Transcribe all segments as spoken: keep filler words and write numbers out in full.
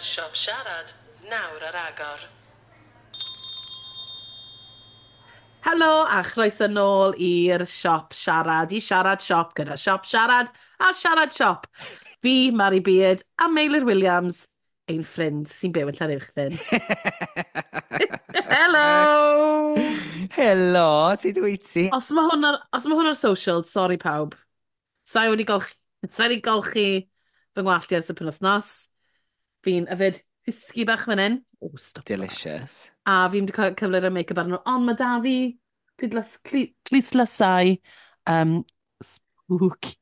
gyfer Siop Siarad, nawr ar agor. Helo a chroeso nôl i'r Siop Siarad, i Siarad Siop gyda Siop Siarad a Siarad Siop. Fi, Mari Beard a Meilir Williams, ein ffrind sy'n byw yn Llanuwchllyn. Helo! Helo, sut wyt ti? Os mae hwn ar, os mae hwn ar social, sorry pawb. Sa'i wedi golchi, sa'i wedi golchi fy ngwallt i ers y penwythnos. Fi'n yfed whisky bach fan hyn. Oh, stop. Delicious. A fi'n wedi cael cyfle rhoi make-up arno. Ond mae da fi clustdlysau um, spooky.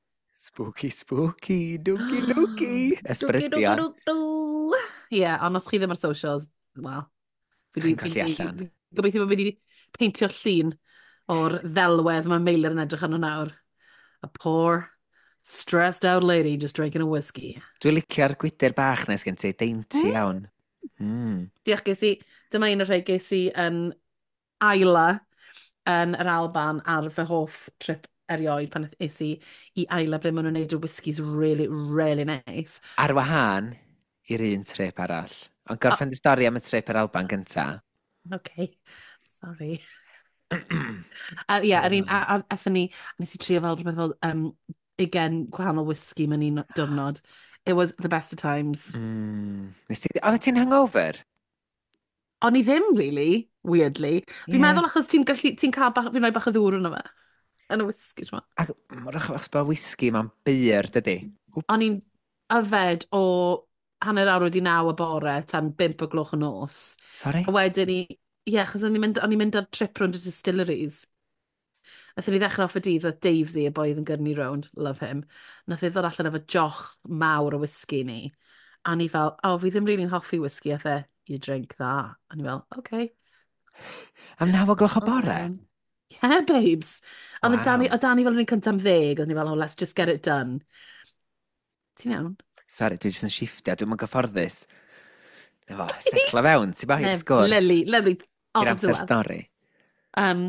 Spooky, spooky, dooky, dooky. Ysbrydion. Ie, yeah, ond os chi ddim ar socials, wel... Chi'n colli allan. Gobeithio bod fi wedi peintio llun o'r ddelwedd mae Meilir yn edrych arno nawr. A poor, stressed out lady just drinking a whiskey. Dwi'n licio'r gwydr bach nes gen ti, dainty mm. iawn. Mm. Diolch, ges i, dyma un o'r rhai ges i yn Islay yn yr Alban ar fy hoff trip erioed pan es i i Islay ble maen nhw'n gwneud y whiskies really, really nice. Ar wahân i'r un trip arall. Ond gorffen dy stori am y trip yr Alban gynta. Okay, sorry. Uh, yeah, yr un, a, a, aethon ni, a nes i trio fel rhywbeth fel um, ugain gwahanol whisky mewn un diwrnod. It was the best of times. Mm. Nes ti... Oedd ti'n hungover? O'n i ddim, really, weirdly. Fi'n Ie. meddwl achos ti'n gallu, ti'n cael bach, fi'n rhoi bach o ddŵr yno fe. Yn y whisky, ti'n Ac mor achos bod whisky mae'n byr, dydy? Wps. O'n i'n yfed o hanner awr wedi naw y bore tan bump o gloch y nos. Sorry? A wedyn ni, ie, yeah, achos o'n i'n mynd, o'n i'n mynd ar trip rownd y distilleries. Nathon ni ddechrau off y dydd, oedd Davesy, y boi oedd yn gyrru ni rownd, love him. Nath e ddod allan efo joch mawr o whisky ni. A ni fel, oh, fi ddim really'n hoffi whisky, a fe, you drink that. A ni fel, okay. Am naw o gloch o bore? Um, yeah, babes. A wow. Waw. Dani, o Dani fel yr un cyntaf am ddeg, oedd ni fel, oh, let's just get it done. Ti'n iawn? Sorry, dwi jyst yn shifftio, dwi'n mynd gyfforddus. Efo, setlo fewn, ti'n bach i'r sgwrs. Lovely, lovely. I'r Odd amser diwedd. stori. Um,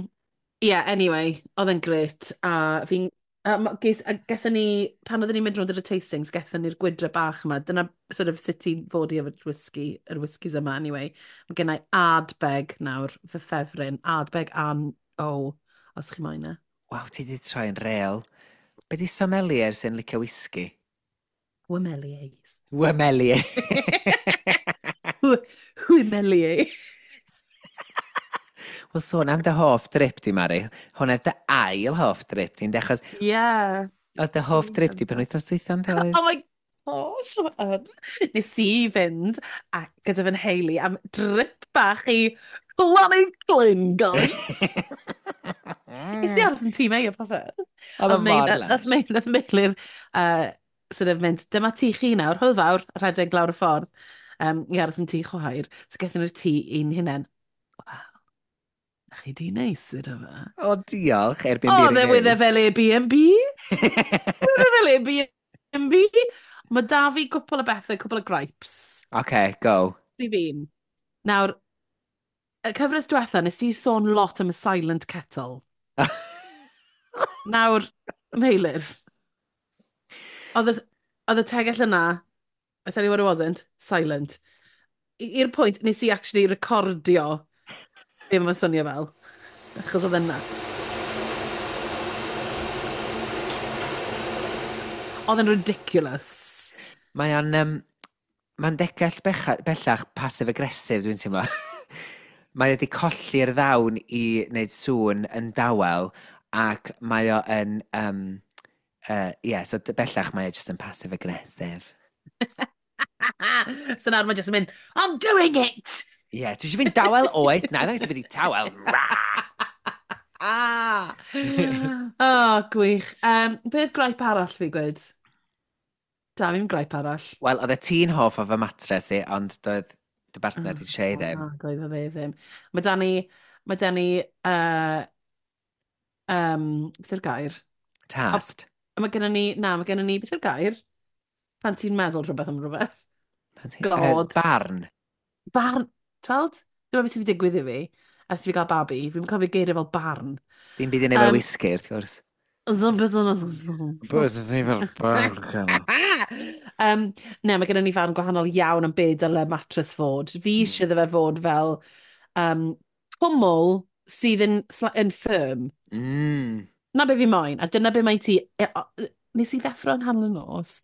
yeah, anyway, oedd e'n gret. A fi'n... Um, ges, a gethon ni, pan oedden ni'n mynd rownd ar y tastings, gethon ni'r gwydre bach yma. Dyna sort of sut ti'n fod i efo'r whisky, yr whiskies yma, anyway. Mae gennau Ardbeg nawr, fy ffefryn. Ardbeg an O, os chi moyn e. Waw, ti di troi yn real. Be di sommelier sy'n licio whisky? Wymeliers. Wymelier. Wymelier. Wel, sôn am dy hoff drip di, Mari. Hwna dy ail hoff drip di, achos Yeah. oedd dy hoff drip di pen wythnos dwytha, yn doedd? Oh my gosh, ma' yn. Nes i fynd a gyda fy nheulu am drip bach i Llanuwchllyn, guys. Nes i aros yn tŷ Mei o popeth. Oedd o Oedd Mei- mor Nath lush. Mei- nath Meilir uh, sort of mynd, dyma tŷ chi nawr, hwyl fawr, a rhedeg lawr y ffordd um, i aros yn tŷ chwaer. So gaethon nhw'r tŷ i'n hunain. Wel, na chi di neis iddo fe. O, diolch, Airbnb O, dde review. wedd e fel Airbnb. Wedd e fel Airbnb. Mae da fi gwpl o bethau, cwpl o gripes. OK, go. Rhif un. Nawr, y cyfres diwetha, nes i sôn lot am y silent kettle. Nawr, Meilir, oedd y, oedd y tegell yna, I tell you what it wasn't, silent. I- I'r pwynt, nes i actually recordio be mae'n swnio fel, achos oedd e'n nuts. Oedd e'n ridiculous. Mae o'n... Um, mae'n degell becha, bellach passive-aggressive, dwi'n teimlo. Mae wedi colli'r ddawn i wneud sŵn yn dawel, ac mae o yn... Um, uh, yeah, so d- bellach mae o just yn passive-aggressive. So nawr mae jyst yn mynd, I'm doing it! Ie, yeah, ti eisiau fynd dawel oes? Na, dwi'n mynd i tawel. Ra! Ah! Oh, gwych. Um, beth gripe arall fi gwed? Da, fi'n gripe arall. Wel, oedd y ti'n hoff o fy matres i, ond doedd dy bartner di Shay ddim. Oh, doedd o dde ddim. Mae da ni, mae da ni, uh, um, beth yw'r gair? Tast. Mae gennym ni, na, mae gennym ni, beth yw'r gair? Pan ti'n meddwl rhywbeth am rhywbeth. Pan ti- God. Yy, barn. Barn, tweld? Dyma beth sydd wedi digwydd i fi. Ers i fi gael babi, fi'n cofio geiriau fel barn. Dim byd i wneud efo Yym, whisky, wrth gwrs. Zum, zum, zum, zum. Beth ydy fel barn? Um, Um, ne, mae gennym ni farn gwahanol iawn am be dyle mattress fod. Fi mm. eisiau iddo fe fod fel um, cwmwl sydd yn, yn firm. Mm. Na be fi moyn, a dyna be mae ti... E, nes i ddeffro yng nghanol y nos,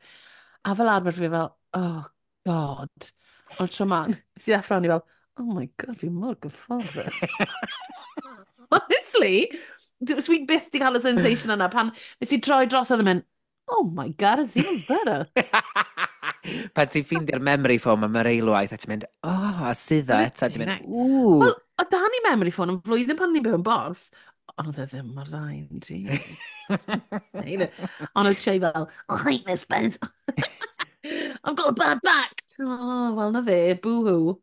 a fel arfer fi fel, oh God. Ond tro ma, nes i ddeffro o'n i fel, oh my God, fi mor gyfforddus. Honestly, dwi byth di cael y sensation yna pan nes i droi dros oedd yn mynd, oh my God, it's even better. Pan ti'n ffeindio'r memory foam am yr eilwaith a ti'n mynd, oh, a suddo eto, a ti'n mynd, ww. Wel, o dan i memory foam yn flwyddyn pan ni'n byw yn Borth, ond oedd e ddim mor dda i'n ti. Ond oedd Che fel, oh, I hate this bed. I've got a bad back. Oh, wel na fe, boo-hoo.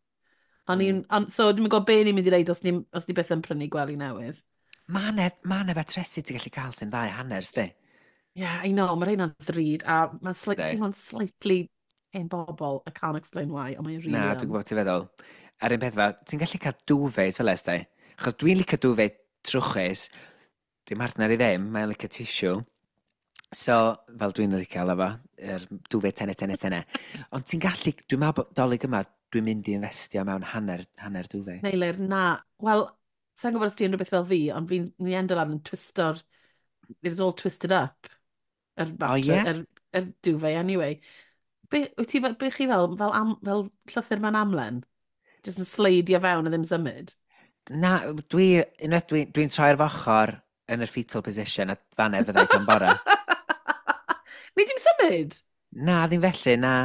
O'n i'n, mm. So dwi'n gwybod be ni'n mynd i wneud os ni, os ni byth yn prynu gwely newydd. Mae 'na ma 'na fatresi ti'n gallu cael sy'n ddau hanner, sdi? Yeah, I know, mae rheina'n ddrud, a mae'n sli teimlo'n slightly hen bobl. I can't explain why, ond mae'n really Na, dwi'n gwybod ti'n feddwl. A'r un peth fel, ti'n gallu cael duvets fel ysdi? Achos dwi'n licio duvet trwchus, dwi'n partner i ddim, mae'n licio tissue. So, fel dwi'n licio alw fo, yr duvet tene, tene, tene. Ond ti'n gallu, dwi'n meddwl bod Dolig yma, dwi'n mynd i investio mewn hanner, hanner duvet. Meilir, na. Wel, sa'n gwybod os ti'n rhywbeth fel fi, ond fi'n ni endo lan yn twisto'r... It was all twisted up. Yr oh, yeah? yr, yr duvet anyway. Be, wyt ti, be chi fel, fel, am, fel llythyr mewn amlen? Just yn sleidio fewn a ddim symud? Na, dwi, unwaith dwi'n dwi, dwi troi'r fochr yn y fetal position a fanna fyddai tan bora. Ni dim symud? Na, ddim felly, na.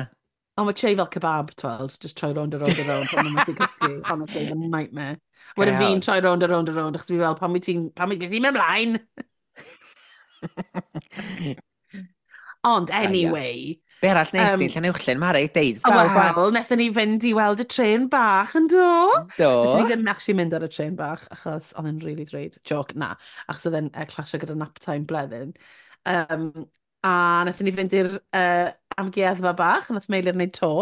Ond mae Che fel kebab, tweld, just troi rownd a rownd a rownd pan mae'n methu cysgu. Honestly, the nightmare. Wedyn fi'n troi rownd a rownd a rownd, achos fi fel, pan wyt ti'n, pan wyt ti'n mynd ymlaen? Ond anyway... Be arall nes um, di, Llanuwchllyn, Mari, deud. Wel, nethon ni fynd i weld y trên bach yn do? Do. Nethon ni ddim actually mynd ar y trên bach, achos oedd e'n really drud. Joke, na. Achos oedd e'n uh, clasio gyda nap time bleddyn. Um, a nethon ni fynd i'r uh, amgueddfa bach, nath Meilir wneud to.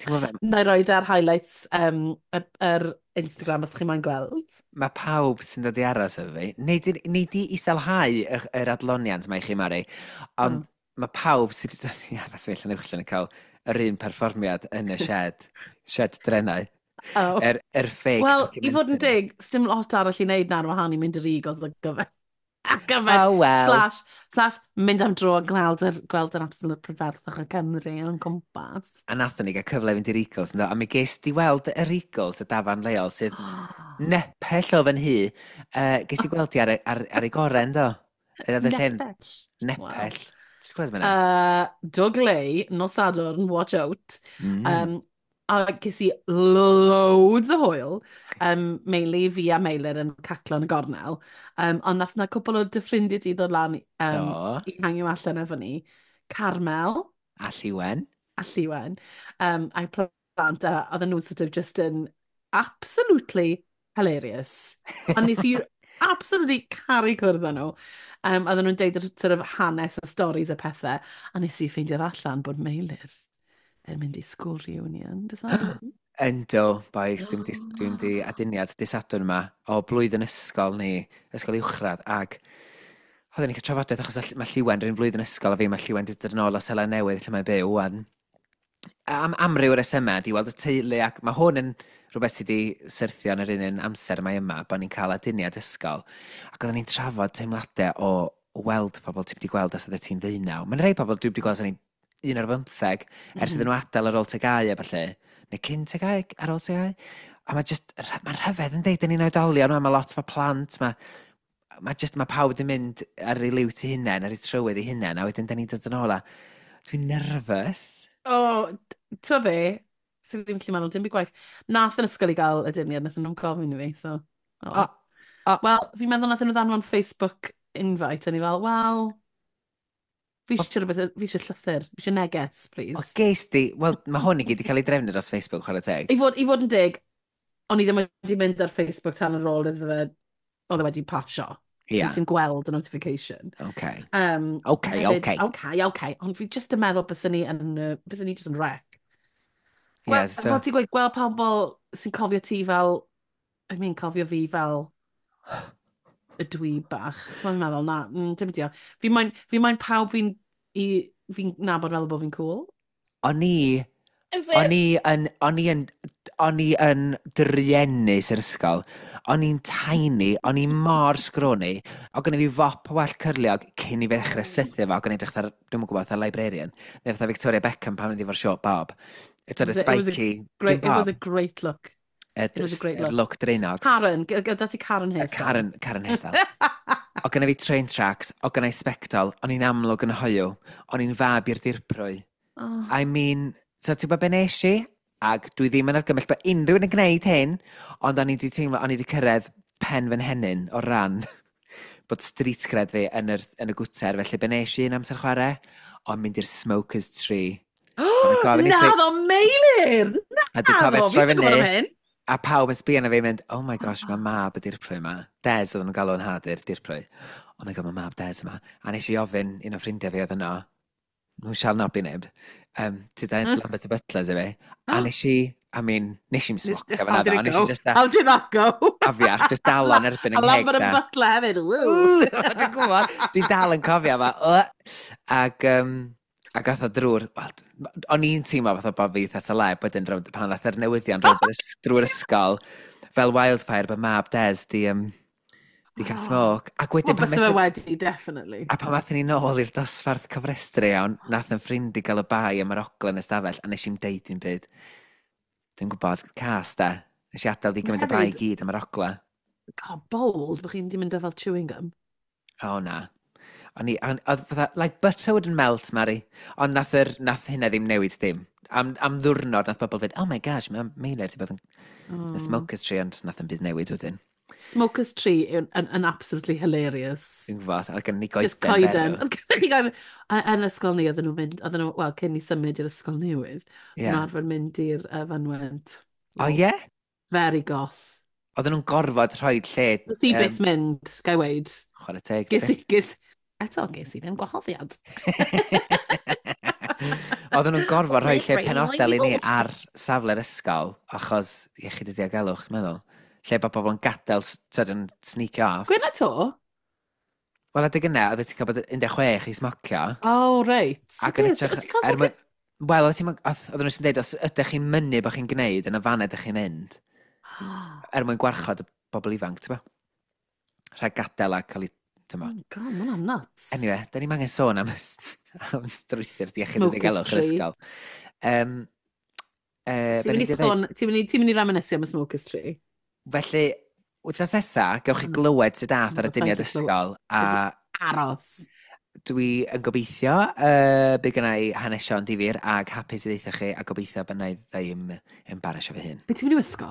Ti'n gwybod be? Na i roed ar highlights um, yr, yr Instagram os chi moyn gweld. Mae pawb sy'n dod i aros efo fi. Nei di, nei di iselhau yr, yr adloniant mae i chi, Mari, ond mm. mae pawb sydd wedi dod i aros fi Llanuwchllyn yn cael yr un perfformiad yn y shed, shed drenau. Oh. Yr, yr fake. Wel, i fod yn dig, sdim lot arall i wneud na'r wahan i mynd i'r Eagles ar gyfer. Ar gyfer, oh, well. Slash, slash mynd am dro a gweld yr, gweld yr absolute prydferthwch y Cymru o'n cwmpas. A nathon ni gael cyfle i fynd i'r Eagles, ynddo? A mi ges di weld yr Eagles, y dafarn leol, sydd nepell o fy nhŷ. Uh, ges di gweld di ar, ar, ar ei gorau, ynddo? Oedd y lle'n Nepell. Nepell. Ti'n gweld fyna? Uh, Dougley, nos Sadwrn, watch out. Mm. Um, a ges i loads o hwyl. Um, mainly fi a Meilir yn caclo yn y gornel. Um, ond nath na cwpl o dy ffrindiau di ddod lan um, Do. i hangio allan efo ni. Carmel. A Lliwen. A Lliwen. Um, a'i plant, a oedden nhw sort of just yn absolutely hilarious. A nes i absolutely caru cwrdd â nhw. Um, oedden nhw'n deud yr sort of hanes a stories a pethau. A nes i ffeindio allan bod Meilir yn mynd i school reunion. Does that happen? Ynddo, boys, dwi'n mynd i, dwi'n mynd i aduniad dydd Sadwrn yma o blwyddyn ysgol ni, ysgol uwchradd, ag oedden ni'n cael trafodaeth achos mae Lliwen rhywun flwyddyn ysgol a fi, mae Lliwen wedi dod yn ôl o Seland Newydd lle mae'n byw wan. Am amryw o'r resymau, di weld y teulu, ac mae hwn yn rhywbeth sydd wedi syrthio yn yr un un amser mae yma, bod ni'n cael aduniad ysgol. Ac oedden ni'n trafod teimladau o weld pobl ti'n wedi gweld as oeddet ti'n ddeunaw. Mae'n rhai pobl dwi wedi gweld as o'n i'n un ar bymtheg, ers iddyn nhw adael ar ôl T G A U a falle, neu cyn T G A U, ar ôl T G A U. A mae just, mae'n rhyfedd yn deud, dyn ni'n oedolion, mae lot o plant, mae mae just, mae pawb yn mynd ar ei liwt ei hunain, ar ei trywydd ei hunain, a wedyn dyn ni'n dod yn ôl a dwi'n nervous. O, oh, ti'n be? Sy'n ddim gallu meddwl, dim byd gwaith. Nath yn ysgol i gael aduniad, nath nhw'n gofyn i fi, so. Oh. O, o. Wel, fi'n meddwl nath nhw ddanfon Facebook invite, a ni fel, wel, fi eisiau rhywbeth, fi eisiau llythyr, fi eisiau neges, please. O, ges di, wel, mae hwn i gyd i cael ei drefnu dros Facebook, chwarae teg. I fod, i fod yn dig, o'n i ddim wedi mynd ar Facebook tan ar ôl iddo fe, oedd e wedi pasio. Ia. So ti'n gweld y notification. Okay. Um, Okay, hefyd, okay. Okay, okay. Ond fi just yn meddwl byswn ni yn, uh, byswn ni just yn wreck. Gwel, Yeah, so fel ti'n gweud, gweld pobl sy'n cofio ti fel, I mean, cofio fi fel y dwi bach. Ti'n meddwl, meddwl, na, mm, dim diolch. Fi moyn, fi moyn pawb fi'n i- fi'n nabod meddwl bod fi'n cool. O'n i Is O'n it? i yn, o'n i yn, o'n i yn druenus yr ysgol. O'n i'n tiny, o'n i mor scrawny. O gynna fi fop o wallt cyrliog cyn i fi ddechrau sythu fo, ac o'n edrych fatha, dwi'm yn gwybod, fatha librarian. Neu fatha Victoria Beckham pan oedd efo'r short bob. It's It a was a, it was a spiky, great, dim it was bob. a great look. Y It was a great yr look. look draenog. Karen, g- gyda ti Karen Y hairstyle. Karen, Karen hairstyle. O gynna fi train tracks, o gynna i sbectol, o'n i'n amlwg yn hoyw, o'n i'n fab i'r dirprwy. Oh. I mean, so ti'n gwybod be nes i? Ac dwi ddim yn argymell bod unrhyw un yn gwneud hyn, ond o'n i wedi teimlo, o'n i wedi cyrraedd pen fy nhennyn o ran bod street cred fi yn, yr, yn y gwter, felly be nes i yn amser chwarae? O'n mynd i'r Smokers Tree. O'n i'n gofyn i Na thi- ddo, Meilir! A dwi'n Na cofio ddo, troi fi'n gwybod am fyny, hyn. a pawb yn sbio arna fi yn mynd, "Oh my gosh, mae mab y dirprwy yma." Des oedden nhw'n galw yn nhad i'r dirprwy. "Oh my God, mae mab Des yma." A nes i ofyn un o ffrindiau fi oedd yno, who shall not be named, um, ti dweud Mm. Lambert y Butlers i fi. A nes i, I mean, nes i'm Nes- smocio How fyna did ddo, it nes i go? just How did that go? Afiach, just dal o'n erbyn A yng ngheg Lambert da. y Butler hefyd. Woo. Dwi'n gwybod, dwi'n dal yn cofio fa. Uh, Ac, um, ac ath o drwy'r, wel, o'n i'n teimlo fatha bod fi eitha celeb wedyn rownd, pan ath yr newyddion rownd yr ys- drwy'r ysgol, fel wildfire, bod mab Des di, um, di cael Oh. smoke. Ac wedyn Wel, pan bysa fe methu- wedi, definitely. a pan athyn ni nôl i'r dosbarth cofrestru iawn, nath yn ffrind i gael y bai am yr ogla yn y stafell, a nes i'm deud dim byd. Dwi'n gwybod, cas da. Nes i adael di gymryd y bai i Hefyd- gyd am yr ogla. God, bold, bod chi'n di mynd â fel chewing gum. O na. O'n i, o'n- oedd fatha, like butter wouldn't melt, Mari. Ond nath, yr, nath hynna ddim newid dim. Am, am ddwrnod nath bobl fynd, "Oh my gosh, mae Meilir di bod yn mm. Mm. Smokers Tree," ond nath yn byd newid wedyn. Smokers Tree yn, yn, yn absolutely hilarious. Dwi'n gwybod, a gen ni goeden. Just coeden. berw. Oedd gynnon ni goeden. A- Yn ysgol ni, oedden nhw'n mynd, oedden nhw, wel, cyn i symud i'r ysgol newydd, Ie. yeah. nhw'n arfer mynd i'r uh, fynwent. O ie? Very goth. Oedden nhw'n gorfod rhoi lle. Nes i byth mynd, gai weid. Chwarae teg. Ges ti. i, ges, eto, ges i ddim gwahoddiad. Oedden nhw'n gorfod rhoi lle Really penodol i ni fod. ar safle'r ysgol, achos iechyd y diogelwch, dwi'n meddwl. Lle bod bobl yn gadael, s- t'od, yn sneakio off. Gwyn to? Wel, adeg yna, oeddet ti'n cael bod un deg chwech i smocio. Oh, reit. Ac yn Beth, hytrach. o, ti'n cael er smocio? mwyn- Wel, oedd ti'n- oedd- oedden nhw'n dweud, os ydych chi'n mynnu bod chi'n gwneud, yn y fan ydych chi'n mynd, er mwyn gwarchod y bobl ifanc, ti'n bo? Rhag gadael a cael ei, ti'n bo? Oh, God, ma' hwnna'n nuts. Anyway, da ni'n angen sôn am, am strwythur iechyd y Smokers diogelwch yr Tree. ysgol. Um, uh, Ti'n mynd i sôn, ti'n mynd i, ti'n mynd i reminiscio am y Smokers Tree? Felly, wythnos nesa, gewch chi Mm. glywed sut ath ar Mm, y dyniad sa i'n gallu ysgol, a Aros. Dwi yn gobeithio uh, bydd gynna i hanesion difyr ag hapus i ddeutha chi, a gobeithio bod na i ddim embarrassio fy hun. Be ti'n mynd i wisgo?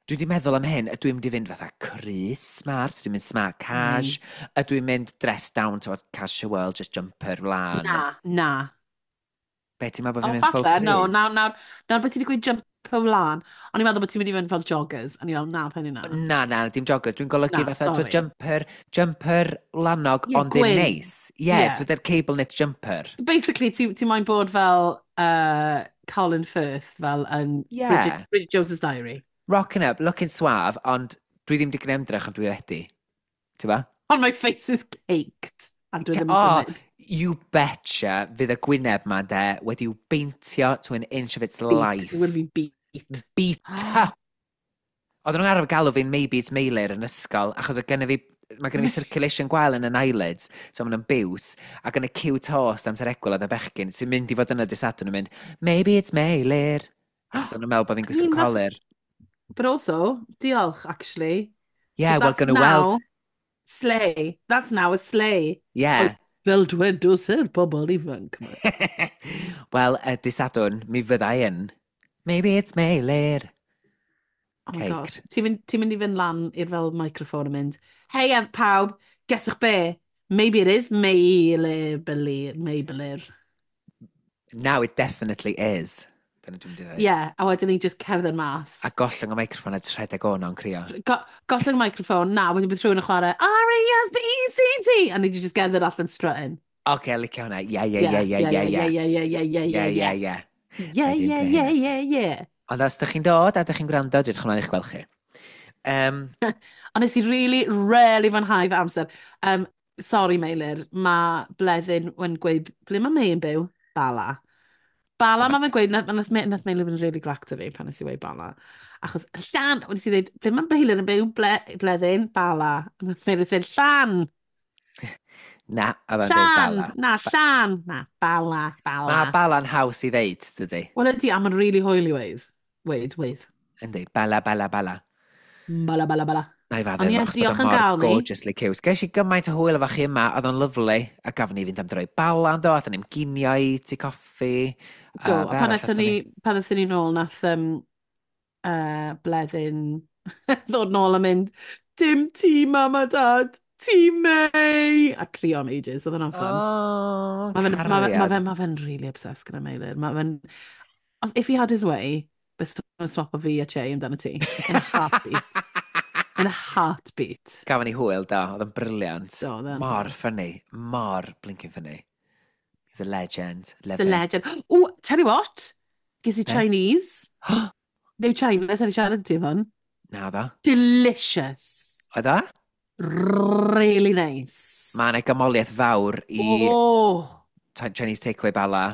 Dwi wedi meddwl am hyn, ydw i'n mynd i fynd fatha crys smart, dwi'n mynd smart cash, Nice. ydw i'n mynd dress down to casual, just jumper wlan? Na, na. Be ti'n meddwl bod O, fi'n mynd full falle, no, crys? nawr, nawr, nawr bod ti wedi gweud jumper wlan, o'n i'n meddwl bod ti'n mynd i fynd fel joggers, o'n i'n meddwl, na, pen i na. Na, na, dim joggers. Dwi'n golygu Na, fatha, twyd, sorry. jumper, jumper wlanog, Ie, ond ddim gwyn. neis. Ie, yeah, Ie. twyd, yr cable knit jumper. Basically, ti, ti moyn bod fel uh, Colin Firth, fel yn Ie. Bridget, Bridget Jones's Diary. Rocking up, looking suave, ond dwi ddim wedi gwneud ymdrech, ond dwi wedi. Ti'n ba? Ond my face is caked, a dwi ddim yn O, symud. You betcha fydd y gwyneb ma de wedi'w beintio to an inch of its Beat. life. It will be beat. Beat up. Oedden nhw'n arfer galw fi'n "Maybe it's Meilir" yn ysgol, achos oedd gynna fi, mae gynna fi circulation gwael yn yn eyelids, so maen nhw'n biws, ac yn y cyw tost amser egwyl oedd y bechgyn, sy'n mynd i fod yna dydd Sadwrn yn mynd, "Maybe it's Meilir." Achos o'n nhw'n meddwl bod fi'n I gwisgo mean, that's- colur. But also, diolch, actually. Yeah, 'Cause wel, that's gynnu weld. now slay. That's now a slay. Yeah. Fel dwedws yr bobl ifanc. Wel, y dydd Sadwrn, mi fydda i yn "Maybe it's Meilir." Oh my Caked. Gosh. Ti'n mynd, ti mynd i fynd lan i'r fel microphone a mynd, "Hey em, pawb, guesswch be? Maybe it is Meilir, Meilir." Now it definitely is. Dyna dwi'n mynd i ddweud. Yeah, a wedyn ni just cerdded mas. A gollwng y microffon a rhedeg o'n o'n crio. Go gollwng y microphone, na, wedyn bydd rhywun yn chwarae R E S P E C T, a ni just gerdded allan strutting. Oce, okay, licio hwnna. Ie, ie, ie, ie, ie, ie. Ie, ie, ie, ie, Ie, ie, ie, ie. ie. Ie, ie, ie, ie, ie. Ond os ydych chi'n dod a ydych chi'n gwrando, dwi'n edrych ymlaen i'ch gweld chi. Um, Ond nes i really, really fwynhau fy amser. Um, sorry, Meilir, mae Bleddyn yn gweud, ble mae May yn byw? Bala. Bala, mae fe'n gweud, nath, nath, nath Meilir fynd yn really grac 'da fi pan nes i weud Bala. Achos, Llan, wedi si ddweud, ble mae Meilir yn byw, ble, bleddyn, Bala. A nath Meilir dweud, Llan! Na, oedd o'n dweud Llan! Bala. Na, Llan! Na, Bala, Bala. Mae Bala'n haws i ddeud, dydy. Wel ydy, a mae'n really hwyl i weud. Weud, weud. Yndi, Bala, Bala, Bala. Bala, bala, bala. Na i Ond faddau, ie, achos bod diolch o'n yn mor gael ni. gorgeously cute. Ges i gymaint o hwyl efo chi yma, oedd o'n lyfli, a gafon ni fynd am dro i Bala, do, athon ni'n ginio i tea coffi. Do, a a be pan arall aethon athon ni, pan aethon ni nôl, nath um, uh, Bleddyn ddod nôl a mynd, "Dim ti, Mam a Dad, ti May!" A crio am ages, oedd hwnna'n fun. Oh, Mae fe'n ma fe, ma cariad. fe, ma fe'n really obsessed gyda Meilir. Mae fe'n... Os, if he had his way, byse fe'n swapo fi a Che amdano ti. In a heartbeat. In a heartbeat. Gafon ni hwyl, do, oedd o'n brilliant. Do, oedd e'n Mor hwyl. funny, mor blinking funny. He's a legend. Love The him. legend. Oh, tell you what. Ges i Be? Chinese. New China, sa'n i siarad i ti am hwn. Na ddo. Delicious. Oedd o? Really nice. Mae yna gymoliaeth fawr i Oh, Chinese takeaway Bala.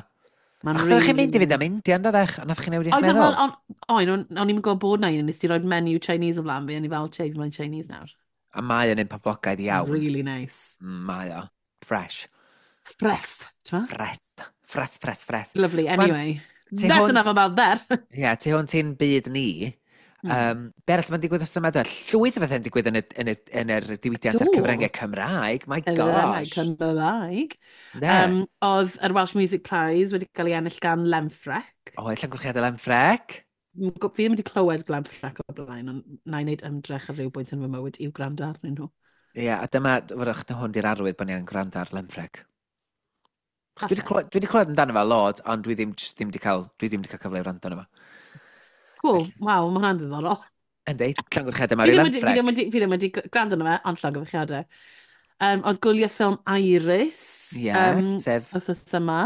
Mae'n Achos oeddech chi'n really mynd i fynd am nice. Indian, doeddech? A nath chi newid eich Oedd meddwl? fel, on, o'n, o'n, o'n i'n gwybod bod na un, nes ti roed menu Chinese o flaen fi, o'n i fel, "Che, fi moyn Chinese nawr." A mae o'n un poblogaidd iawn. Really nice. Mm, Mae o. Fresh. Fresh, ti'n ma? Fresh. Fresh, fresh, fresh. Lovely, Wan, anyway. tu That's hwnt- enough about that. Ie, yeah, tu hwnt i'n byd ni. Mm. Um, be arall sy'n digwydd os yma? Dwi? Llwyth o bethau'n digwydd yn y, yn y, yn yr diwydiant a'r Do. cyfryngau Cymraeg. My Cyfryngau gosh. Cymraeg. Ne. Um, oedd yr Welsh Music Prize wedi cael ei ennill gan Lemfreck. O, llongyfarchiadau Lemfreck. M- Fi ddim wedi clywed Lemfreck o blaen, ond na i wneud ymdrech ar ryw bwynt yn fy mywyd i'w gwrando arnyn nhw. Ie, yeah, a dyma, wrach, hwn di'r arwydd bod ni yn gwrando ar Lemfreck. Dwi wedi Falle. clywed, dwi wedi clywed amdano fe lot, ond dwi ddim, just ddim wedi cael, dwi ddim wedi cael cyfle i wrando arno fo. Cool, waw, mae hwnna'n ddiddorol. Yndi, llongyfarchiadau Fi mawr i ddim wedi, fi Lemfreck. ddim wedi, fi ddim wedi gwrando arno fe, ond llongyfarchiadau. Um, oedd gwyliau ffilm Iris Yes, um, sef wythnos yma.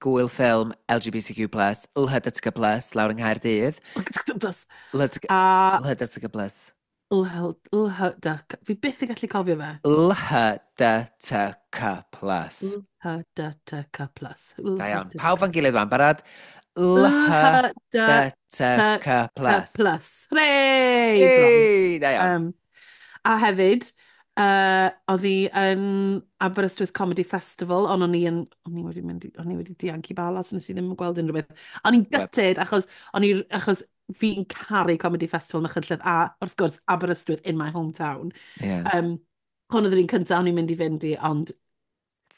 gwyl ffilm L G B T Q plus, L H D T Q plus, lawr yng Nghaerdydd. Plus. L H D T Q A L H D T Q plus. L H, L H D, fi byth yn gallu cofio fe. L H D T Q plus. L H D T K plus. Da iawn. Pawb fan gilydd wan, barod? L H D T K plus. L H D T K plus. Hooray! Bron. Hey, da iawn. Um, a hefyd, uh, oedd hi yn Aberystwyth Comedy Festival, ond o'n i yn, o'n i wedi mynd, i- o'n i wedi dianc i Bala, so nes i ddim yn gweld unrhyw beth. O'n i'n Web. gutted, achos, o'n i, achos fi'n caru Comedy Festival Machynlleth, a wrth gwrs Aberystwyth in my hometown. Yeah, Um, hwn oedd yr un cyntaf o'n i'n mynd i fynd i, ond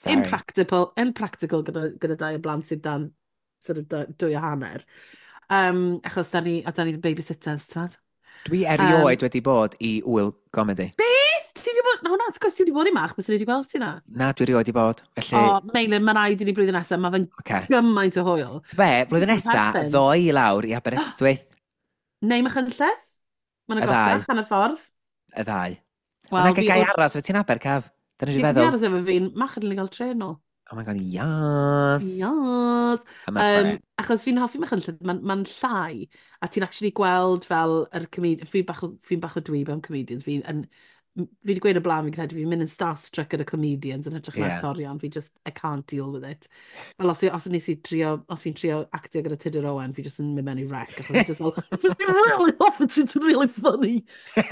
sorry. impractical, impractical gyda, gyda dau o blant sydd dan sort of da- dwy a hanner. Um, achos da ni, a da ni babysitters, ti'n meddwl? Dwi erioed wedi bod i wyl comedy. Beth? Ti wedi bod... Na, hwnna, wrth gwrs ti wedi bod i Mach, bys ti wedi gweld ti na? Na, dwi erioed wedi bod. Felly, O, Meilir, mae rhaid i ni blwyddyn nesaf, mae fe'n oce. gymaint o hwyl. Ti'n be, blwyddyn Ti'n nesa, perthyn. ddoi i lawr i Aberystwyth, Neu Machynlleth? Mae'n Y ddau. agosach, hanner ffordd. Y ddau. Wel, Wel, fi gai wrth- aros, fe ti'n Aber, Caf? Dyna Fi dwi'n fi feddwl. aros efo fi'n Mach yn gael trên nôl. Oh my God, yes. Yes. I'm up for Um, it. achos fi'n hoffi Machynlleth, mae'n ma llai, a ti'n actually gweld fel yr comedian, fi bach o, fi'n bach o dweeb am comedians, fi'n yn, fi wedi gweud o blaen, fi'n credu fi'n mynd yn starstruck gyda comedians yn hytrach na Ie. actorion, fi just, I can't deal with it. Fel os, os nes i trio, os fi'n trio actio gyda Tudur Owen, fi just yn mynd mewn i wreck, achos fi just fel, "Fi'n really hoffi ti, ti'n really funny."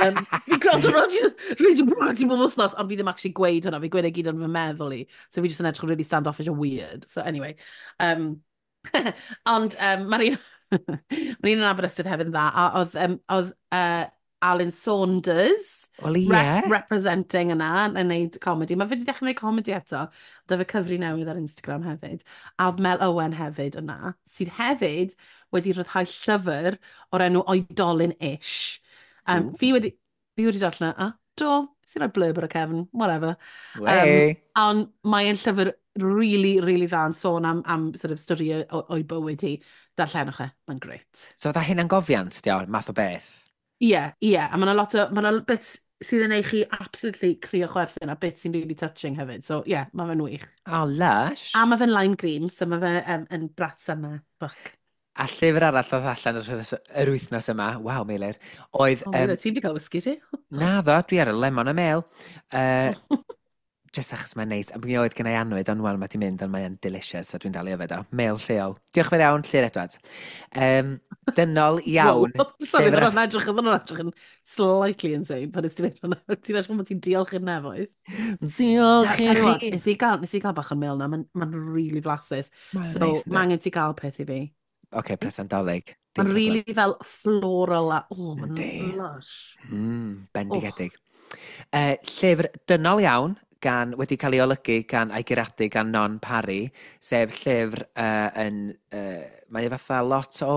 Um, fi'n gwrando Radio, Radio Bratty bob wythnos, ond fi ddim actually gweud hwnna, fi'n gweud e gyd yn fy meddwl i. So fi just yn edrych yn really standoffish and weird. So anyway, um, ond um, mae'r un, mae'r un yn Aberystwyth hefyd yn dda, a oedd, um, oedd uh, Alan Saunders Wel, ie. rep representing yna yn wneud comedy. Mae fe wedi dechrau gwneud comedy eto. Oedd fe cyfri newydd ar Instagram hefyd. A oedd Mel Owen hefyd yna, sydd hefyd wedi rhyddhau llyfr o'r enw Oedolyn-ish. Um, Ooh. fi wedi, fi wedi darllen e, a do, sy'n rhoi blurb ar y cefn, whatever. Wey. Ond mae'n llyfr really, really dda yn sôn am, am sort of stori o'i bywyd hi. Darllenwch e, mae'n great. So, fatha hunangofiant, di o, math o beth. Ie, yeah, ie. Yeah. A mae yna lot o, mae yna bits sydd yn ei chi absolutely crio chwerthin a bits sy'n really touching hefyd. So, ie, yeah, mae fe'n wych. Oh, lush. A mae fe'n lime green, so mae fe um, yn Brat Summer book. A llyfr arall ddoth allan yr wythnos, yr wythnos yma, waw, Meilir, oedd... O, Um, um, ti wedi cael whisky ti? Na ddo, dwi ar y lemon a mêl. Uh, Just achos mae'n neis. A mi oedd gen i annwyd, ond wel, mae di mynd, ond mae'n delicious, a dwi'n dal i yfed o. Mêl lleol. Diolch yn fawr iawn, Llyr Edwards. Um, dynol iawn. Wow. Sorry, llyfr- oedd hwnna'n edrych, oedd hwnna'n edrych yn slightly insane pan nes ti'n edrych hwnna. Ti'n edrych bod ti'n diolch i'r nefoedd. Diolch i Tell you what, chi. nes i gael, nes i gael bach o'n mêl na, mae'n ma really flasus. Mae'n So, neis, yndi? mae angen ti gael peth i fi. Oce, presant Dolig. Dim Mae'n problem. really fel floral a, oh, mae'n Yndi. lush. Mm, bendigedig. Uh, llyfr dynol iawn, gan, wedi cael ei olygu gan a'i guradu gan Non Parry, sef llyfr uh, yn... Uh, mae e fatha lot o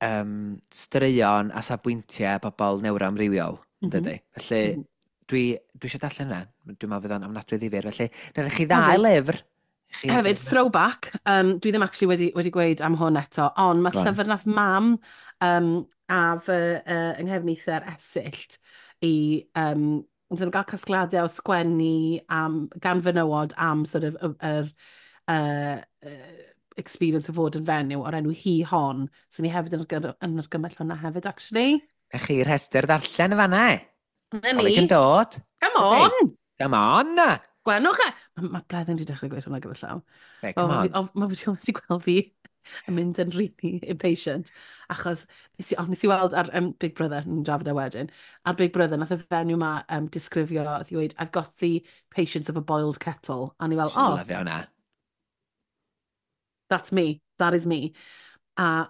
um, straeon a safbwyntiau bobl neuroamrywiol, mm Mhm. -hmm. dydy? Felly, Mhm. dwi, dwi eisiau darllen hwnna. Dwi'n meddwl fydd o'n ofnadwy ddifyr. Felly, dyna chi ddau Hefyd- lyfr. Chi Hefyd, throwback, um, dwi ddim actually wedi, wedi gweud am hwn eto, ond mae Go on. llyfr nath mam um, a fy uh, yng nghefnither Esyllt i, um, wnaethon nhw gael casgliadau o sgwennu am, gan fenywod am sort of yr, yr uh, uh, experience o fod yn fenyw o'r enw Hi Hon. So ni hefyd yn, argy- yn argymell hwnna hefyd, actually. Na chi rhestr ddarllen y fanna. Na Dolig ni. yn dod. Come on! Come on! Gwenwch e! Mae ma Bleddyn wedi dechrau gweud hwnna gyda llaw. Be, Wel, come ma' on. fi- o- Ma' fi wedi gweld fi yn mynd yn really impatient, achos nes i, oh, nes i weld ar um, Big Brother, ni'n drafod e wedyn, ar Big Brother, nath y fenyw ma um, disgrifio, oedd i weud, "I've got the patience of a boiled kettle." A ni fel, "Oh, Lyfio hwnna. That's me, that is me." A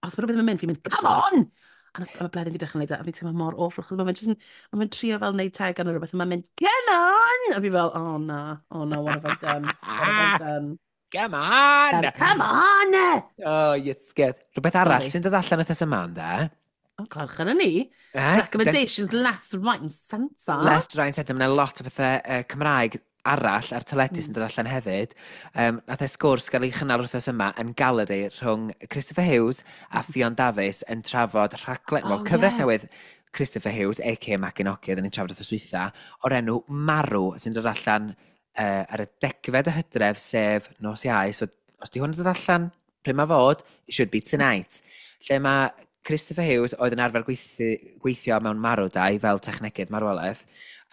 os mae rhywbeth ddim yn mynd, fi'n mynd, "Come on!" A na- a mae Bleddyn wedi dechrau gwneud e, a fi'n teimlo mor awful, achos mae fe'n just yn, mae fe'n trio fel wneud tegan neu rhywbeth, a mae'n mynd, "Come on!" A fi fel, "Oh na, oh no, what have I done? What have I done?" Come on! Come on! Oh, yes, good. Rhywbeth arall Sorry. sy'n dod allan wythnos yma, ynde? Oh God, chyna ni. Eh? Recommendations left, right and centre. Left, right and centre. Mae yna lot o bethau uh, Cymraeg arall ar teledu Mm. sy'n dod allan hefyd. Um, nath e sgwrs gael ei chynnal wythnos yma yn Galeri rhwng Christopher Hughes a Ffion Dafis yn trafod rhaglen, well, Oh, cyfres ie. newydd Christopher Hughes, A K A Maginogi, oedden ni'n trafod wythnos dwytha, o'r enw Marw, sy'n dod allan uh, ar y degfed o Hydref, sef nos Iau. So, os di hwn yn dod allan, pryd mae fod, it should be tonight. Lle mae Christopher Hughes, oedd yn arfer gweithio, gweithio mewn marwdai fel technegydd marwolaeth.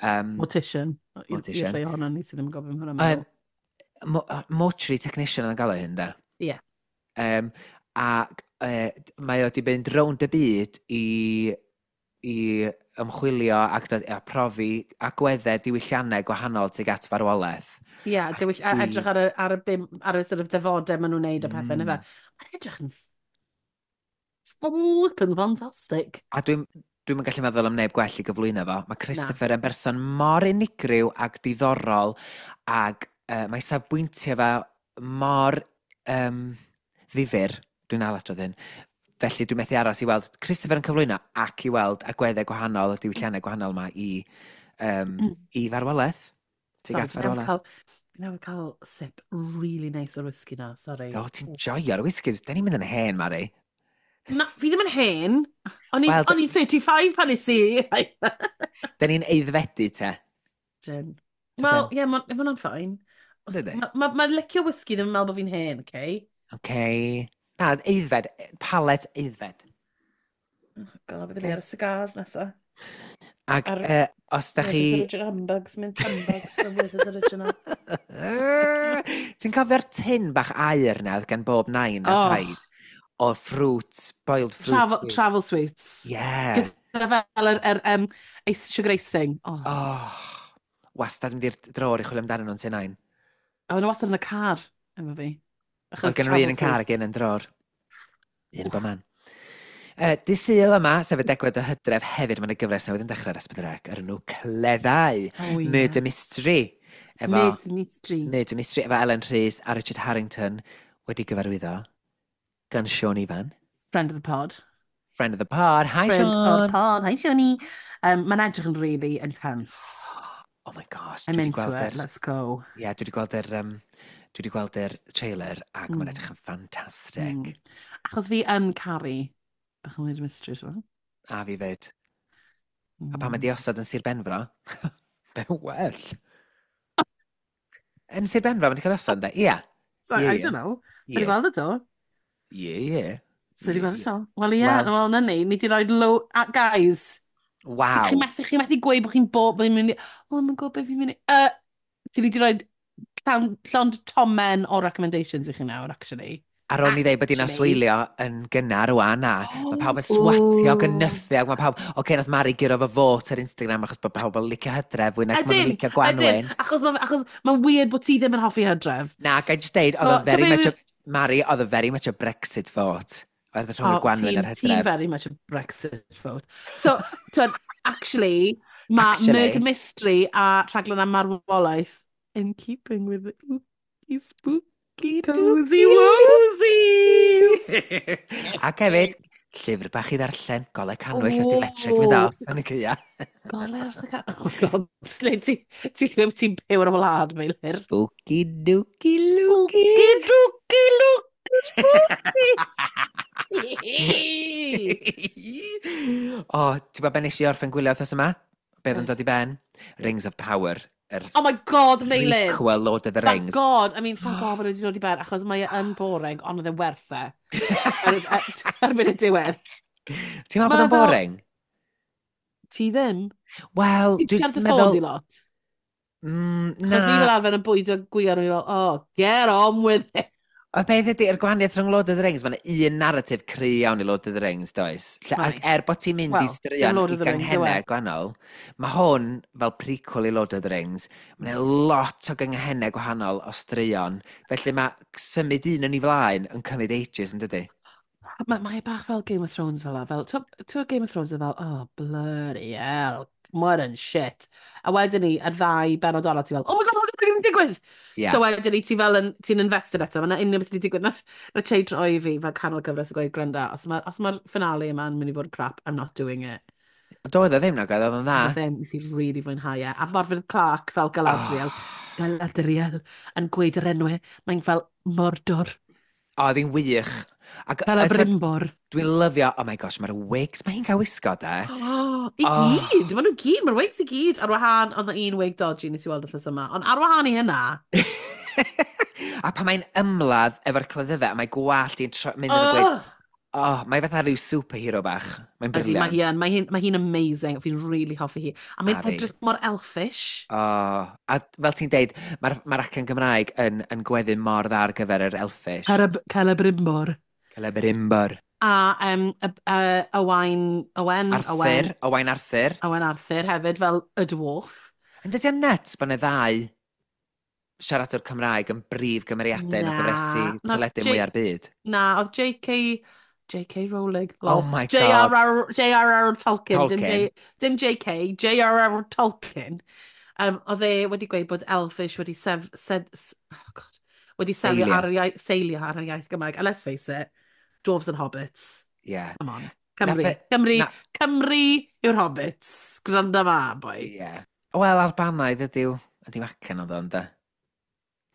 Um, Mortician. Mortician. I'r rhai ohono ni sydd ddim yn gofyn hwnna. Um, mo mortuary technician oedd yn galw hyn, de? Ie. Um, a uh, mae o wedi mynd rownd y byd i, i ymchwilio ac dod, a profi agweddau diwylliannau gwahanol tuag at farwolaeth. Ie, yeah, diwyll, a dwi- edrych ar y, ar y, bim, ar y sort of ddefodau maen nhw'n neud a pethau, mm. Mm. Mae'n edrych yn flippin' fantastic. A dwi'n dwi'n gallu meddwl am neb gwell i gyflwyno fo. Mae Christopher yn berson mor unigryw ac diddorol ac uh, mae safbwyntiau fe mor um, ddifyr. Dwi'n ail hyn. Felly dwi'n methu aros i weld Christopher yn cyflwyno ac i weld agweddau gwahanol, y diwylliannau gwahanol yma i, um, Mm. i farwolaeth. Tuag Sorry, at fi newydd farwolaeth. cael, fi newydd cael sip really nice o'r whisky na, sorry. Do, ti'n joio'r whisky. Da ni'n mynd yn hen, Mari. Na, fi ddim yn hen. O'n i- Wel, o'n i'n thirty-five pan nes i. Da ni'n aeddfedu te. Dyn. Wel, ie, yeah, mae hwnna'n fine. Dydi? Mae ma, ma licio whisky ddim yn meddwl bod fi'n hen, okay? Okay. Na, aeddfed. Palet aeddfed. Oh God, byddwn ni ar y cigars nesa. Ac Ar- uh, os da chi Werther's Original Humbugs, mint humbugs, the Werther's Original. Ti'n cofio'r tin bach aur na oedd gan bob nain a Oh. taid? O fruits, boiled fruit Travel, sweet. Travel sweets. Yeah. Gyda fel yr, yr um, ice, sugar icing. Oh. Oh, wastad mynd i'r drôr i chwilio amdanyn nhw'n tŷ nain. Oh, nhw wastad yn y car efo fi. Oedd gen nhw un yn car ac un yn drôr. Un yn bob man. Uh, Dydd Sul yma, sef y degfed o Hydref, hefyd mae'n y gyfres newydd yn dechrau ar S pedwar C, ar enw Cleddau. Oh, yeah. Murder Mystery. Efo, Murder Mystery. Murder Mystery, efo Ellen Rhys a Richard Harrington wedi gyfarwyddo gan Siôn Ifan. Friend of the pod. Friend of the pod. Hi, Friend Siôn. o'r pod. Hi, Sioni. Um, Mae'n edrych yn really intense. Oh my gosh. I'm Dwi 'di into gweld it. yr- Let's go. Ie, dwi wedi gweld yr, um, dwi wedi gweld yr trailer ac mm. mae'n Mm. edrych yn ffantastig. Mm. Achos fi yn caru bach o murder mystery, ti'n gwbod? A fi fyd. A pan Mm. mae di osod yn Sir Benfro, be well. Yn Sir Benfro, mae di cael ei osod, ynddo? Ie. So, Ie, I ie. don't know. Ie, Ti wedi gweld y to? ie, ie. So, wedi Ie, gweld y ie. to? Wel, ie, Wel- wel, na ni. Ni di roi low... Uh, guys, Waw. Chi'n methu, chi methu gweud bod chi'n bo... Bod chi'n mynd i... Oh, mae'n gwybod beth fi'n mynd i... Uh, Ti wedi rhoi llawn, llond tomen o recommendations i chi nawr, actually. Ar ôl ni ddeud bod hi'n Actually. aswylio yn gynnar rwan na. Mae pawb yn swatio Ooh. ac yn nythu ac mae pawb... Oce, okay, nath Mari guro fo fot ar Instagram achos bod pawb yn licio hydref fwy nag maen nhw'n Ydyn, licio ydyn, gwanwyn. achos mae'n achos ma weird bod ti ddim yn hoffi hydref. Na, ga i just deud, oedd So, o very t'o' be' much a... Mari, oedd o very much a Brexit vote. Oedd o rhwng y O, gwanwyn ti'n a'r ti'n hydref. very much a Brexit vote. So, twyd, actually, mae Actually. Murder Mystery a rhaglen am marwolaeth in keeping with the ooky spooky cozy wozies. Ac hefyd, llyfr bach i ddarllen, golau cannwyll os di electric mynd off yn y caea. Golau wrth y ca... Oh my God, le ti, ti'n ti'n byw ar y wlad, Meilir. Spooky dooky looky. Spooky dooky looky spookies. O, ti'n gwybod be nes i orffen gwylio wythnos yma? Be oedd yn dod i ben? Rings of Power. Yr Oh my God, Meilir. prequel Lord of the Thank Rings. God, I mean, thank God bod e wedi dod i ben, achos mae e yn boring, ond oedd e werth e. Ar- Erbyn y diwedd. Ti'n meddwl bod Ma' o'n fel- boring? Ti ddim? Wel, Ti'n dwi'n siarad dy ffôn meddwl... di lot? Mm, Achos fi fel na. arfer yn bwydo gwiar a fi fel, oh, get on with it. Y peth ydy, yr gwahaniaeth rhwng Lord of the Rings, mae'n un narratif cry iawn i Lord of the Rings, does? Lle, ac Oes. er bod ti'n mynd Wel, i dim straeon Lord i of the Rings yw e. ganghennau gwahanol, mae hwn fel prequel i Lord of the Rings, mae'n lot o ganghennau gwahanol o straeon, felly mae symud un yn ei flaen yn cymryd ages, yn dydy? Mae mae e bach fel Game of Thrones fel la. Fel, ti'n Game of Thrones yn fel, oh, bloody hell, what yn shit. A wedyn ni, yr ddau benod ola, ti fel, oh my God, oh my God, beth yn digwydd? Yeah. So wedyn ni, ti fel yn, ti'n invested eto. Mae'n union beth sydd wedi digwydd. Nath, nath Che droi fi fel canol gyfres a gweud, gwranda, os mae'r os ma finale yma'n mynd i fod yn crap, I'm not doing it. Doedd o ddim nag oedd, oedd o'n dda. Nath ddim, nes i really fwynhau e. A Morfydd Clark fel Galadriel, Oh. Galadriel, yn gweud yr enwau, mae'n fel Mordor, O, oedd hi'n wych. Ac, fel y yy, t'od, Brimbor. Dwi'n lyfio, oh my gosh, mae'r wigs, mae hi'n cael wisgo, de. Oh, i Oh. gyd! Maen nhw gyd, mae'r wigs i gyd. Ar wahân, ond un wig dodgy nes i weld wythnos yma. Ond ar wahân i hynna, A pan mae'n ymladd efo'r cleddyfau, a mae gwallt hi'n tro- mynd yn y gweud, oh, oh, mae fatha rhyw superhero bach. Mae'n ydy, mae brilliant. hi yn, mae hi'n mae hi'n amazing. Fi'n really hoffi hi. A mae'n A fi. edrych mor elfish. Oh, a fel ti'n deud, mae'r ma acen Gymraeg yn, yn gweddu mor dda ar gyfer yr elfish. Carab, Celebrimbor. Celebrimbor. A um, y, y, Owain, Owen, Arthur, Owen, Owain Arthur. Owen Arthur hefyd fel y dwarf. Yn dydy o'n nuts bod yna ddau siaradwr Cymraeg yn brif gymeriadau yn y Na, gyfresi nath teledu J- mwy'r byd. Na, oedd J K. J K. Rowling. Oh my God. J R R. J R R. Tolkien. Dim, Tolkien. J, dim J K. J R R. Tolkien. Um, oedd e wedi gweud bod Elfish wedi sef, sed, s- oh God, wedi selio Seilio. ar yr iaith, seilio ar yr iaith Gymraeg. And let's face it, dwarves and hobbits. Yeah. Come on. Cymru. Nath e- Cymru. na- Cymru yw'r hobbits. Gwranda ma, boi. Yeah. Wel, Albanaidd ydyw. Ydyw acen oedd o, ynde?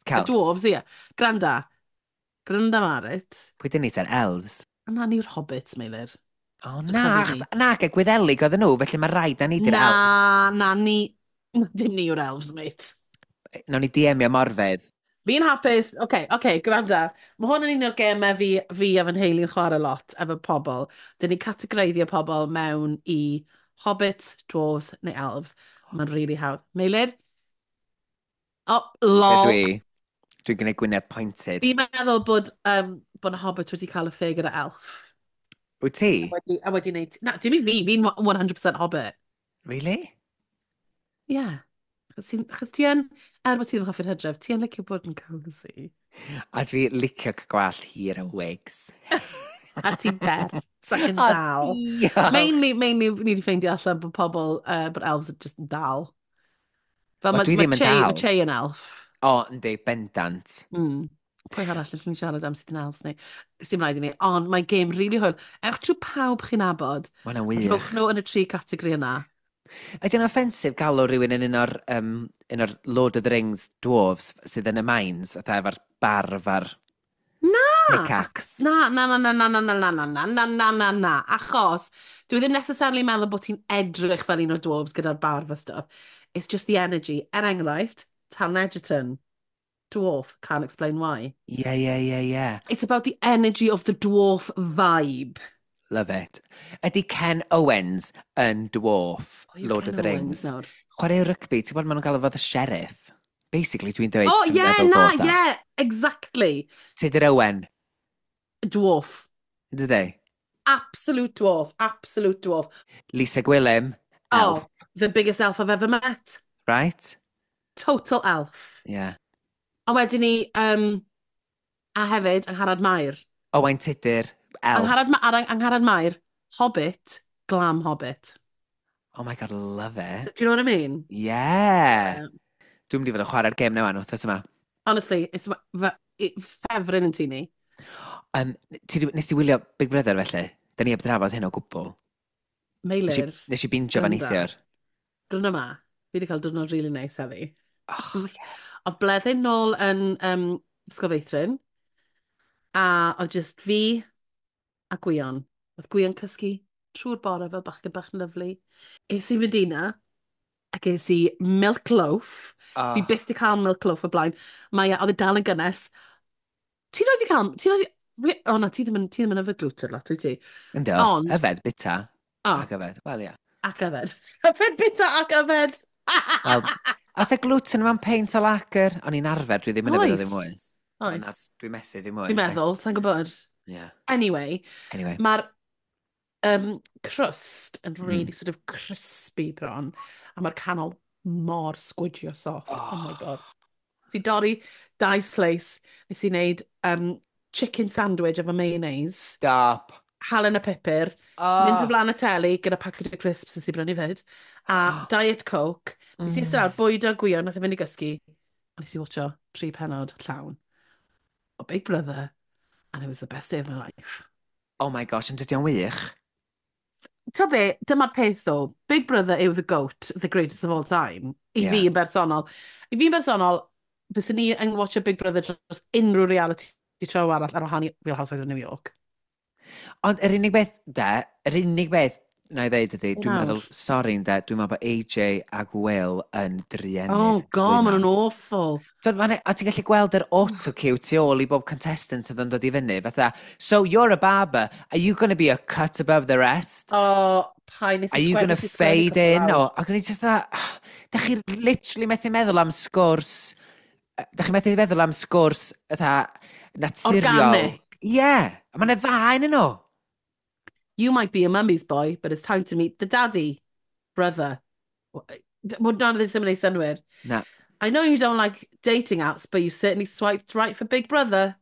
Y Celts. dwarves, ie. Gwranda. Gwranda ma, reit. Pwy dyn ni te'r elves? Na ni'r hobbits, Meilir. O, Drych na, ar achos, fi. na, ge Gwyddelig oedden nhw, felly mae rhaid na ni di'r elves. Na, na, ni... Dim ni yw'r elves, mate. Nawn ni D M-io Morfydd. Fi'n hapus. Oce, okay, oce, okay, gwranda. Mae hwn yn un o'r gemau fi, fi a fy nheulu'n chwarae lot efo pobl. Dyn ni'n categoreiddio pobl mewn i hobbits, dwarves neu elves. Mae'n really hawdd. Meilir? Oh, Be lol. dwi? Dwi'n gwneud gwyneb pointed. Fi'n meddwl bod, um, bod y hobbit wedi cael y ffug gyda elf. Wyt ti? A wedi, a wedi neud... Na, dim i fi, fi'n one hundred percent hobbit. Really? Yeah. Achos ti'n achos ti yn, er bod ti ddim yn hoffi'r hydref, ti yn licio bod yn cozy. A dwi licio cael gwallt hir a wigs. A ti'n bert ac yn O, dal. diolch. Mainly, mainly, ni wedi ffeindio allan bod pobl, uh, bod elves are just yn dal. Fel Wel, mae dwi ma ddim yn Che, dal. ma Che yn elf. O, yndi, bendant. Mm. Pwy arall allwn ni siarad am sydd yn elves ni? Sdim rhaid i ni, ond mae game really hwyl. Ewch trwy pawb chi'n nabod. Ma' hwnna'n a wych. Rhowch nhw yn y tri categori yna. Ydy o'n offensif galw rhywun yn un o'r, um, un o'r Lord of the Rings dwarves sydd yn y mines, fatha efo'r barf a'r Na! pickaxe? Na, na, na, na, na, na, na, na, na, na, na, na, na, na, achos dwi ddim necessarily meddwl bod ti'n edrych fel un o'r dwarves gyda'r barf a stuff. It's just the energy. Er enghraifft, Taron Egerton, dwarf, can't explain why. Ie, ie, ie, ie. It's about the energy of the dwarf vibe. Love it. Ydy Ken Owens yn dwarf O, yw Lord Ken of the Owens Rings? nawr? Chwarae rygbi, ti'n gwybod maen nhw'n galw fo the sheriff? Basically, dwi'n dweud, Oh, dwi'n yeah, meddwl na, fod o. yeah, exactly. Tudur Owen, Dwarf. dydy? Absolute dwarf. Absolute dwarf. Lisa Gwilym, Oh, elf, the biggest elf I've ever met. right? Total elf. Yeah. A wedyn ni, um, a hefyd, Angharad Mair. Owain Tudur, elf. Angharad, Ma Angharad Mair, Hobbit, glam Hobbit. Oh my God, love it. So, do you know what I mean? Yeah. Yeah. Dwi'n mynd i fod yn chwarae'r gêm newan wythnos yma. Honestly, it's it, ffefryn yn tŷ ni. Um, ti, di- nes ti wylio Big Brother felly? Da ni heb drafod hyn o gwbl. Nes i, Meilir, nes i bingio fan Gwranda. neithiwr. Gwranda ma, fi wedi cael diwrnod really nice heddi. Oh, yes. Oedd Bleddyn nôl yn um, Ysgol Feithrin, a oedd just fi a Gwion. Oedd Gwion cysgu trwy'r bore fel bachgen bach yn lyfli. Es i Medina, a ges i milk loaf. Oh. Fi byth di cael milk loaf o blaen. Mae, e- oedd e dal yn gynnes. Ti roed i cael... Ti roed i... O na, ti ddim yn, ti ddim yn yfed gluten lot, wyt ti? Ynddo, Ond- yfed, bita, O, ac yfed. Wel, ie. ac yfed. Yfed bita ac yfed! Wel, os y gluten mewn peint o lager, o'n i'n arfer, dwi ddim yn yfed o ddim mwy. Oes. Ond na, Oes. Dwi'n methu ddim mwy. Fi'n meddwl, sa'n gwybod. Yeah. Anyway, Anyway. mae'r um, crust yn Mm. really sort of crispy bron, a mae'r canol mor squidgy o soft. Oh, oh my God. Nes i dorri dau slice, nes i wneud um, chicken sandwich efo mayonnaise, Stop. halen a pupur, Oh. mynd o flaen y teli gyda packet o crisps nes i brynu fyd, a Diet Coke. Nes i eistedd lawr, bwydo Gwion, nath e fynd i gysgu, a nes i watcho tri penod llawn o Big Brother, and it was the best day of my life. Oh my gosh, yn dydy o'n wych. Ti'n be, dyma'r peth ddo, Big Brother yw the GOAT, the greatest of all time, i Ie. fi yn bersonol. I fi yn bersonol, byswn ni yn watcho Big Brother dros unrhyw reality show arall ar wahân i Real Housewives of New York. Ond yr unig beth, de, yr unig beth na i ddeud ydy, dwi'n Nawr. meddwl, sori de, dwi'n meddwl bod A J ag Will yn druenus. Oh God, maen nhw'n awful. So, ma' 'na- a ti'n gallu gweld yr auto-cue tu ôl i bob contestant oedd yn dod i fyny, fatha, "So you're a barber, are you going to be a cut above the rest?" Oh, paid nes i "Are you sgwennu- going to nes i sgwennu fade couple in?" awr. O, ac o'n i just that, da chi literally methu meddwl am sgwrs, da chi methu meddwl am sgwrs, fatha, naturiol. Organic. Ie, yeah, a mae'n ddau yn nhw. "You might be a mummy's boy, but it's time to meet the daddy, brother." Well, none of this yn gwneud synnwyr. Na. "I know you don't like dating apps, but you certainly swiped right for Big Brother."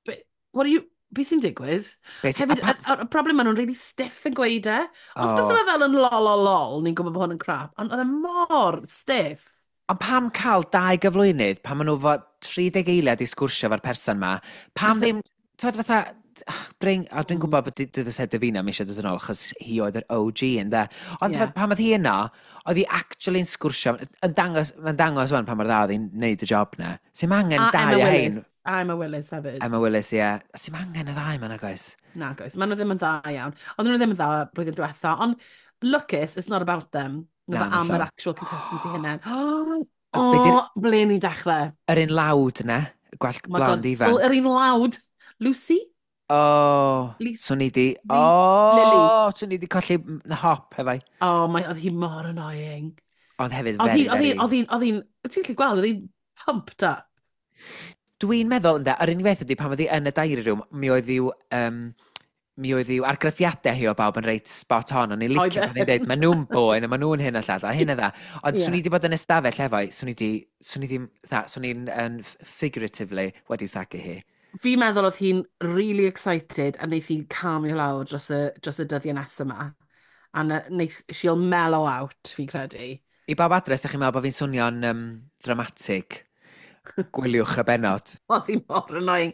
But what are you... Be sy'n digwydd? Beth- Hefyd, a pa- y, y problem, maen nhw'n really stiff yn gweud e. Os Oh. oh. bys fel yn lol lol lol, ni'n gwybod bod hwn yn crap. Ond oedd e mor stiff. Ond pam cael dau gyflwynydd, pan maen nhw fod tri deg eiliad i sgwrsio efo'r person ma, pam Fatha- ddim, ti'n fatha, bring, a dwi'n Mm. gwybod bod dy fysa Davina ddim eisiau dod yn ôl, achos hi oedd yr O G yn de. Ond Ie. yeah. pan oedd hi yno, oedd hi actually yn sgwrsio, yn dangos, mae'n dangos wan pa mor dda oedd hi'n neud y job na. Sy'm angen A dau Emma o hein. Willis. A Emma Willis hefyd. Emma Willis, ie. Yeah. Sy'm angen y ddau ma, nag oes? Na, guys, maen nhw ddim yn dda iawn. Oedden nhw ddim yn dda blwyddyn diwetha, ond lwcus, it's not about them. Na, Mae fe am hollol. yr actual contestants i hynny. Oh, Be di'r- oh, ble ni'n dechrau? Yr un loud na, gwallt Oh my blond God. ifanc. Wel, yr un loud. Lucy? O, Lisa- swn i di, Li- o, Lily. swn i di colli m- hop efo. Oh, my, oedd hi mor annoying. Ond hefyd, Oedd hi, very, oedd hi, very. oedd hi, oedd hi'n, ti'n gallu gweld, oedd hi'n pumped up. Dwi'n meddwl, ynde, yr unig beth ydy pan oedd hi yn y diary room, mi oedd i'w, um, mi oedd i'w argraffiadau hi o bawb yn reit spot on. O'n i'n licio Oedd e. pan hi'n dweud, "Maen nhw'n boen, a maen nhw'n hyn a llall, a hyn a dda." Ond Ie. swn i wedi bod yn ystafell efo hi, swn i di, swn i ddim, tha, swn i'n yn figuratively wedi thagu hi. Fi'n meddwl oedd hi'n really excited a wneith hi calmio lawr dros y, dros y dyddiau nesaf yma. A na- wneith, she'll mellow out, fi'n credu. I bawb adre, ydych chi'n meddwl bod fi'n swnio'n um, dramatig, gwyliwch y benod. Oedd hi mor annoying.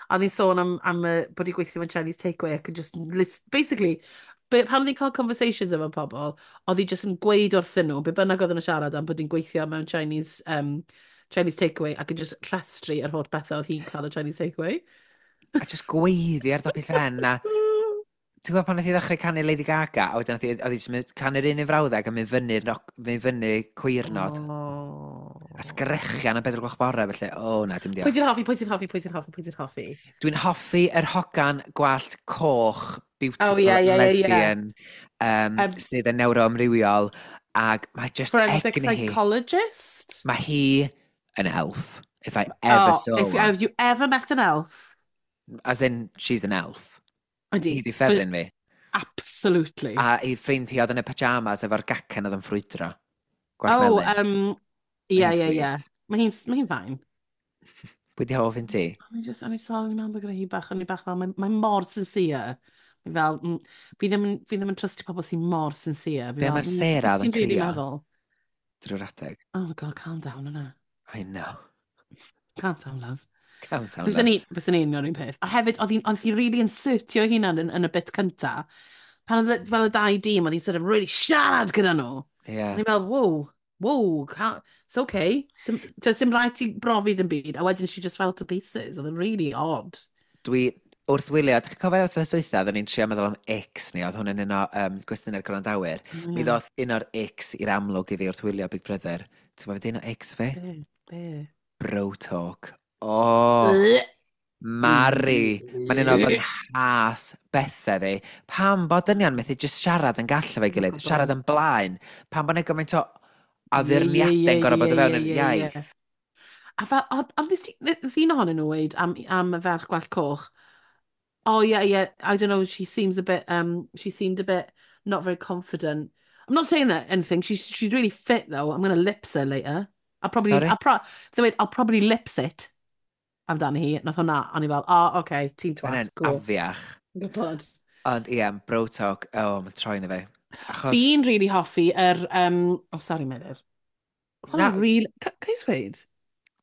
A oedd hi'n sôn am, am uh, bod hi'n gweithio mewn Chinese takeaway ac yn just, list, basically, be, pan oedd hi'n cael conversations efo pobl, oedd hi just yn gweud wrthyn nhw, be bynnag oedd yn siarad am bod hi'n gweithio mewn Chinese, um, Chinese takeaway ac yn just rhestru yr holl bethau oedd hi'n cael o Chinese takeaway. A just gweiddi ar dop ei llen, a ti'n gwybod pan nath hi ddechrau canu Lady Gaga, a wedyn nath hi, oedd hi jyst mynd canu'r un un frawddeg a mynd fyny'r noc- mynd fyny cwyrnod. Oh. A sgrechian am bedwar gloch bore, felly, o oh, na, dim Pwy diolch. ti'n hoffi, pwy ti'n hoffi, pwy ti'n hoffi, pwy ti'n hoffi? Dwi'n hoffi yr hogan gwallt coch, beautiful, Oh, ie, ie, ie, ie. lesbian, um, Um, sydd yn neuroamrywiol, ac mae just Forensic egni hi. psychologist? Mae hi An elf. If I ever Oh, saw if, one. Have you ever met an elf? As in, she's an elf. Ydy. Hi di ffefryn fi. Absolutely. A ei ffrind hi oedd yn y pyjamas efo'r gacen oedd yn ffrwydro. Gwallt Oh, melyn. um, ie, Mae hi'n ie, ie. sweet. Mae hi'n mae hi'n fine. Pwy di hoff un ti? O'n i just, o'n i just fel, o'n i'n meddwl gyda hi bach, o'n i bach fel, mae, mae mor sincere. Fi fel, mm, fi ddim yn, fi ddim yn trustio pobl sy'n mor sincere. Fi Be fel, mae'r mm, Sarah oedd ti'n yn really crio? meddwl? Drwy'r adeg. Oh my God, calm down yna. I know. Calm down, love. Calm down, Fyswn love. ni, fyswn ni'n union un peth. A hefyd, oedd hi'n oedd hi really insertio hunan yn, yn y bit cynta. Pan oedd y- fel y dau dîm, oedd hi'n sort of really siarad gyda nhw. Yeah. O'n i'n fel, wow, wow, ca- it's okay. Sim, does dim rhaid ti brofi dim byd. A wedyn she just fell to pieces. Oedd yn really odd. Dwi wrth wylio, dych chi'n cofio wrth wythnos, oedden ni'n trio meddwl am icks ni, oedd hwn yn un o um, gwestiynau'r gwrandawyr. Oh, Mi ddoth un o'r icks i'r amlwg i fi wrth wylio Big Brother. Ti'n gwybod beth un o icks fi? Be? Be? Bro talk. Oh, Mari. Mae'n un o fy nghas bethau fi. Pam bod dynion methu just siarad yn gall efo'i gilydd, Gwbod. Siarad yn blaen. Pam bod yna gymaint o Ie, ie, addurniadau'n ie, gorfod bod ie, o fewn ie, yr ie, ie. iaith. A fel, ond ond nes ti, nath un ohonyn nhw weud am, am y ferch gwallt coch, "Oh yeah, yeah, I don't know, she seems a bit, um, she seemed a bit not very confident. I'm not saying that anything, she's, she's really fit though, I'm going to lips her later. I'll probably, Sorry? I'll pro, they went, I'll probably lips it amdani hi." Nath hwnna, o'n i fel, "Oh, okay, ti'n twat, Mae'n cool." afiach. Gwybod. Ond ie, bro talk, oh, mae'n troi na fi. Achos, Fi'n really hoffi yr, um, oh sorry Meilir. Na. Hwnna'n really, ca ca i ddweud?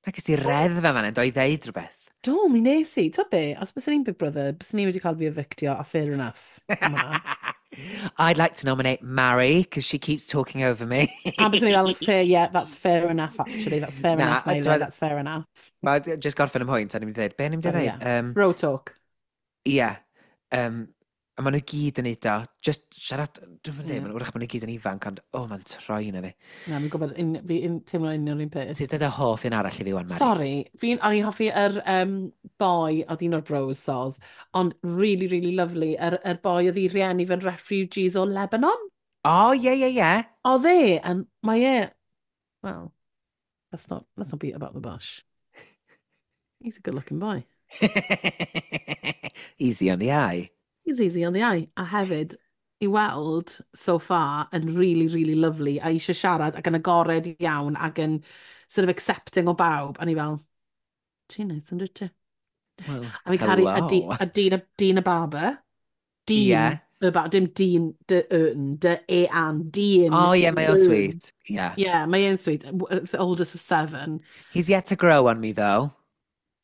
Na ges i reddf fan hyn, do i ddeud rhywbeth. Do, mi nes i. Ti'n be, os bys ni'n Big Brother, bys ni wedi cael fi evictio, a fair enough am hwnna. I'd like to nominate Mary, because she keeps talking over me. A bys ni fel, "Fair, yeah, that's fair enough, actually. That's fair Na, enough, ond Meilir, t'wod- that's fair enough." Wel, just gorffen ym mhwynt, a ni'n mynd i ddeud, be ni'n mynd i Sorry, ddeud? yeah. Um, Bro talk. Ie. Um, a maen nhw gyd yn neud o. Just siarad, dwi'n mynd Ie. yeah. Wrach maen nhw gyd yn ifanc, ond oh, mae'n troi na fi. Na, fi'n gwybod, un- fi'n teimlo union un peth. Ti'n dweud y hoff un arall i fi wan, Mari? Sorry, fi'n, o'n i'n hoffi yr um, boi, oedd un o'r bros soz, ond really, really lovely, yr, yr boi oedd ei rieni fe'n refugees o Lebanon. O, ie, ie, ie. Oedd e, and mae e, well, let's not, let's not beat about the bush. He's a good looking boy. Easy on the eye. He's easy on the eye. A hefyd, i weld so far yn really, really lovely, a eisiau siarad ac yn agored iawn ac yn sort of accepting o bawb. A ni fel, "Ti'n neis yn dwyt ti?" Well, A fi'n caru a, di, hello. a Dean, Dean y Barber. Dean Ie. y Barber, dim Dean, dy yn, dy e an, Dean. Oh, ie, mae o'n Ern. sweet. Yeah. Yeah, mae e'n sweet. The oldest of seven. He's yet to grow on me, though.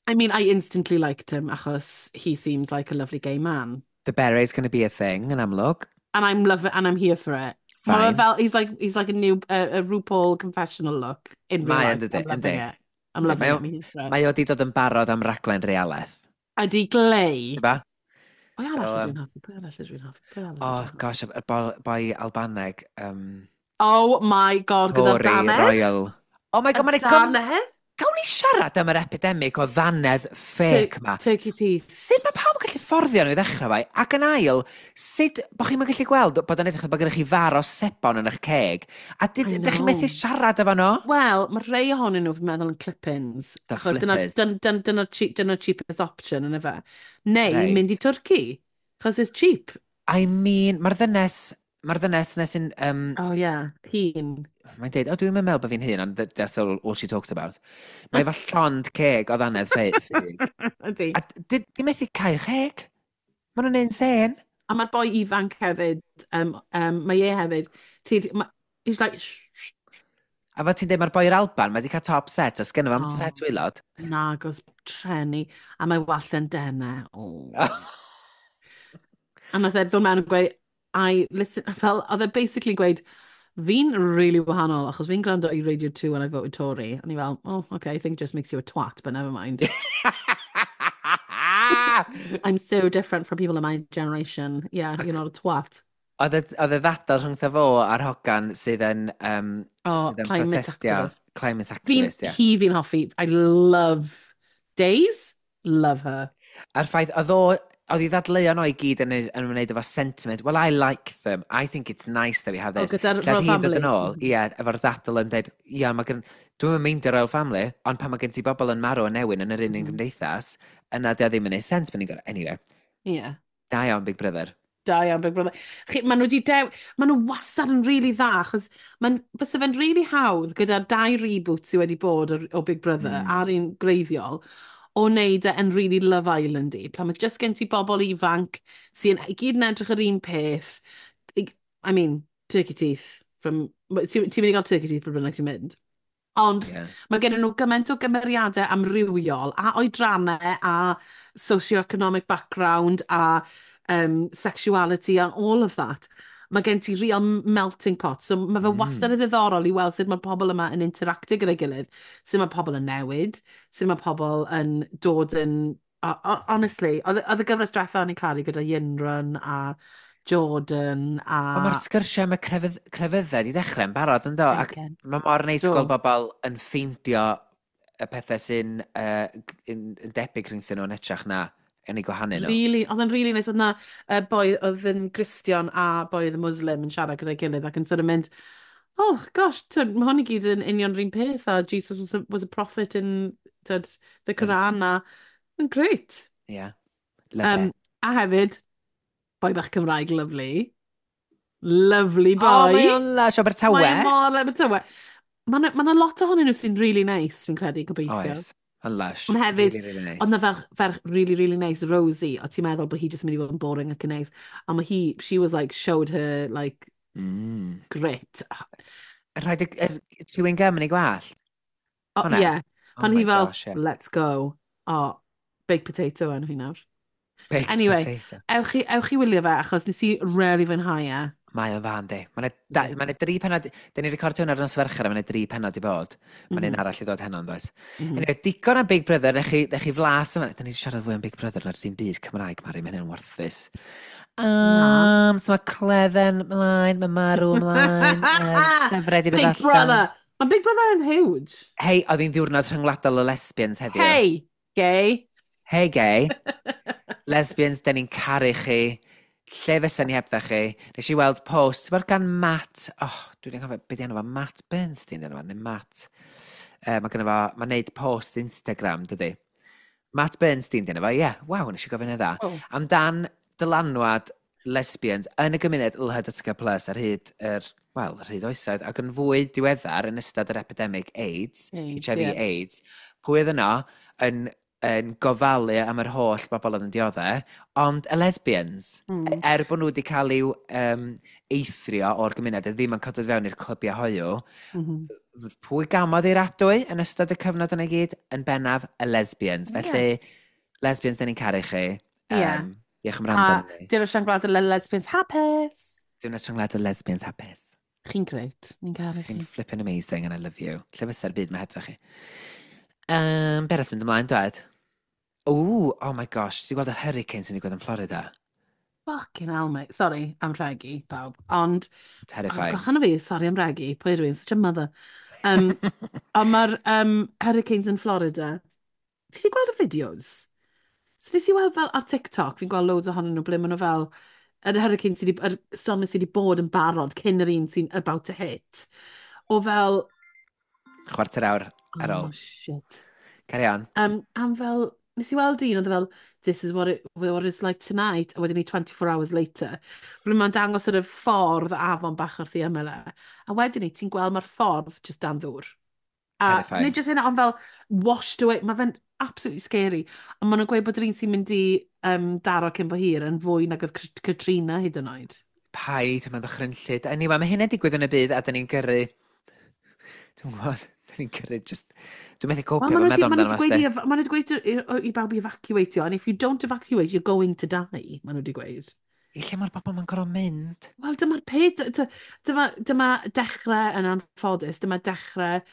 I mean, I instantly liked him achos he seems like a lovely gay man. The beret's going to be a thing, yn amlwg. And I'm love it, and I'm here for it. Mae Fine. fel, he's like, he's like a new uh, a RuPaul confessional look in real Mae yn life. dydi, I'm loving yndi. it. I'm loving Mae it. o- I'm here for it. Mae o di dod yn barod am raglen realaeth. Ydy glei. Ti'n ba? Pwy So, arall um, ydw i'n hoffi? Pwy arall ydw i'n hoffi? Pwy arall Oh, ydw i'n hoffi? gosh, y boi, boi Albaneg. Um, Oh my God, gyda'r Tory dannedd? Royal. Oh my God, Y mae'n gym... dannedd? Gawn ni siarad am yr epidemic o ddannedd fake ma. Turkey teeth. Sut mae pawb yn gallu fforddio nhw i ddechrau fai? Ac yn ail, sut bod chi'n gallu gweld bod yn edrych bod gennych chi far o sebon yn eich ceg? A I dych chi'n know. methu siarad efo nhw? Wel, mae rhai ohonyn nhw fi'n meddwl yn clip-ins. The Achos dyna, flippers. dyna, dyna, dyna, cheap, dyna cheapest option yn efe. Neu Reit. mynd i Twrci. Achos it's cheap. I mean, mae'r ddynes, mae'r ddynes nes sy'n, um, Oh yeah, hun. Mae'n deud, "O, dwi'n meddwl bod fi'n hyn," ond th- that's all, all she talks about. Mae efo llond ceg o ddannedd ffug. Ydy. A di, di methu cael cheg. Maen nhw'n insane. A mae'r boi ifanc hefyd, um, um, mae e hefyd, ti, ma, he's like, "Shh, shh." A fel ti'n dweud, mae'r boi i'r Alban, mae wedi cael top set, a sgynno fo am Oh. set waelod. Nagos treni, a mae wallt yn denau. Oh. A nath e ddod mewn yn gweud, "I listen," fel, oedd e basically gweud, "Fi'n really wahanol, achos fi'n gwrando i Radio two when I voted Tory." A ni fel, "Oh, okay, I think it just makes you a twat, but never mind. I'm so different from people in my generation. Yeah, you're not a twat." Oedd y oedd y ddadl rhwngtho fo a'r hogan sydd yn, um, Oh, sydd yn climate protestio. activist. Climate Fi'n, activist, ie. hi fi'n hoffi. I love Days. Love her. A'r ffaith, oedd o, oedd i ddadleuon o i gyd yn, yn ymwneud efo sentiment. "Well, I like them. I think it's nice that we have O, this." gyda'r Lle oedd Royal hi'n dod Family. yn ôl, ie, efo'r ddadl yn dweud, ie, mae gen, Dwi'n meindio Royal Family, ond pan mae gen ti bobl yn marw yn newyn yn yr un un mm. gymdeithas, yna di o ddim yn neud sens pan ni'n gorau. Anyway. Yeah. Da iawn, Big Brother. Da iawn, Big Brother. Chi, maen nhw wedi dew... Maen nhw wastad yn really dda, achos maen, bysa fe'n really hawdd gyda dau reboot sydd wedi bod o, o Big Brother mm. a'r un greiddiol, o wneud e yn really Love Island-y. Pan mae just gen ti bobl ifanc sy'n i gyd yn edrych yr un peth. I mean, turkey teeth. From, ti'n ti mynd i gael turkey teeth pryd bynnag ti'n mynd. Ond yeah. mae gen nhw gymaint o gymeriadau amrywiol a oedrannau a socio-economic background a um, sexuality and all of that. Mae gen ti real melting pot. So mae fe mm. wastad yn ddiddorol i weld sut mae pobl yma yn interactio gyda'i gilydd, sut mae pobl yn newid, sut mae pobl yn dod yn... Honestly, oedd y gyfres diwetha o'n i'n caru gyda Yinrun a Jordan a... Ond mae'r sgyrsiau am y crefydd, crefyddau di dechrau yn barod, yn do? Ac mae mor neis gweld bobl yn ffeindio y pethau sy'n uh, yn, yn debyg rhyngthyn nhw yn hytrach na yn ei gwahanu nhw. Really, oedd yn really nice. Oedd na uh, boi oedd yn Gristion a boi oedd yn Muslim yn siarad gyda'i gilydd ac yn sort of mynd, oh gosh, twyd, mae hwn i gyd yn union yr un peth a Jesus was a, was a prophet in twyd, the Quran a yn great. Yeah. Love um, it. A hefyd, boi bach Cymraeg, lovely. Lovely boy. Oh, mae o'n lush, Abertawe. Mae mor Abertawe. Mae yna ma lot ohonyn nhw sy'n really nice, fi'n credu, gobeithio. Oes, yn lush. Ond hefyd, really, really nice. Ond na ferch, ferch really, really nice, Rosie, o ti'n meddwl bod hi jyst yn mynd i fod yn boring ac yn nice. A mae hi, she was like, showed her, like, mm. grit. Rhaid y, y chewing gum yn ei gwallt? Oh, yeah. Pan oh hi fel, gosh, yeah. Let's go. Oh, baked potato enw hi nawr. Baked anyway, potato. Ewch chi, ewch chi wylio fe, achos nes i really fwynhau e. Mae o'n dda, yndi. Mae yna ma dri penod... Da ni'n recordio hwn ar nos Fercher a mae yna dri penod i bod. Mae'n mm -hmm. un arall i ddod heno, yn does. Mm -hmm. Anyway, digon am Big Brother, nech chi, nech chi flas yma. Da ni'n siarad fwy am Big Brother na'r dim byd Cymraeg, Mari, mae hynny'n warthus. Um, so mae Cledden mlaen, mae Marw mlaen, um, llyfrau di dod Big allan. Brother! Mae Big Brother yn huge. Hei, oedd hi'n ddiwrnod rhyngwladol y lesbians heddiw. Hey, gay. Hey, gay. Lesbians, da ni'n caru chi. Lle fysa ni hebdda chi? Nes i weld post, ti'n gan Matt, oh, dwi'n cofio, beth di enw fo, Matt Bernstein enw fo, neu Matt. Uh, mae gynno fo, mae'n neud post Instagram, dydy. Matt Bernstein di enw fo, ie, yeah, waw, nes i gofyn yn dda. Oh. Amdan dylanwad lesbians yn y gymuned L H B T plus ar hyd yr, wel, ar hyd oesoedd, ac yn fwy diweddar yn ystod yr epidemic AIDS, AIDS H I V yeah. AIDS, pwy oedd yno yn yn gofalu am yr holl bobl oedd yn dioddef, ond y lesbians, mm. er bod nhw wedi cael i'w um, eithrio o'r gymuned, a ddim yn codod fewn i'r clybiau hoyw, mm -hmm. pwy gamodd i'r adwy yn ystod y cyfnod yna i gyd? Yn bennaf, y lesbians. Yeah. Felly, lesbians, da ni'n caru chi. Um, Yeah. Diolch am wrando A arnon ni. Diwrnod Rhyngwladol y Lesbians Hapus. Diwrnod Rhyngwladol Lesbians Hapus. Chi'n great. Ni'n caru Chi'n chi. flipping amazing and I love you. Lle fysa'r byd mae hebdda chi? Um, be arall sy'n mynd ymlaen, dwed? Ooh, oh my gosh, ti'n gweld yr hurricane sy'n digwydd yn Florida? Fucking hell, mate. Sorry, am rhegi, pawb. Ond, Terrifying. Oh, gochan o fi, sorry am rhegi. Pwy ydw i? I'm such a mother. Um, ond mae'r um, hurricanes yn Florida. Ti wedi gweld y fideos? So nes i weld fel ar TikTok, fi'n gweld loads ohonyn nhw ble maen nhw fel, yr hurricane sydd wedi, yr storm sydd wedi bod yn barod cyn yr un sy'n about to hit. O fel... Chwarter awr ar ôl. Oh, shit. Carry on. Um, am fel, nes i weld un, oedd e fel, this is what, it, what it's like tonight, a wedyn ni twenty-four hours later. Ble mae'n dangos sort of ffordd afon bach wrth ei ymyl e. A wedyn ni, ti'n gweld mae'r ffordd just dan ddŵr. A Terrifying. nid just hynna, ond fel washed away. Mae fe'n absolutely scary. Ond maen nhw'n gweud bod yr un sy'n mynd i um, daro cyn bo hir yn fwy nag oedd Katrina hyd yn oed. Paid, mae'n ddychrynllyd. Anyway, mae hynna'n digwydd yn y byd a dyn ni'n gyrru... Dwi'n gwybod, dyn ni'n gyrru just... Dwi'n methu copio Wel, fo meddwl maen amdano nhw fo, wedi sti. gweud i, maen nhw wedi gweud i, i bawb i evacuatio, and if you don't evacuate, you're going to die, maen nhw wedi gweud. I lle mae'r bobl ma'n gorfod mynd? Wel, dyma'r peth, dyma, dyma dechrau yn anffodus, dyma dechrau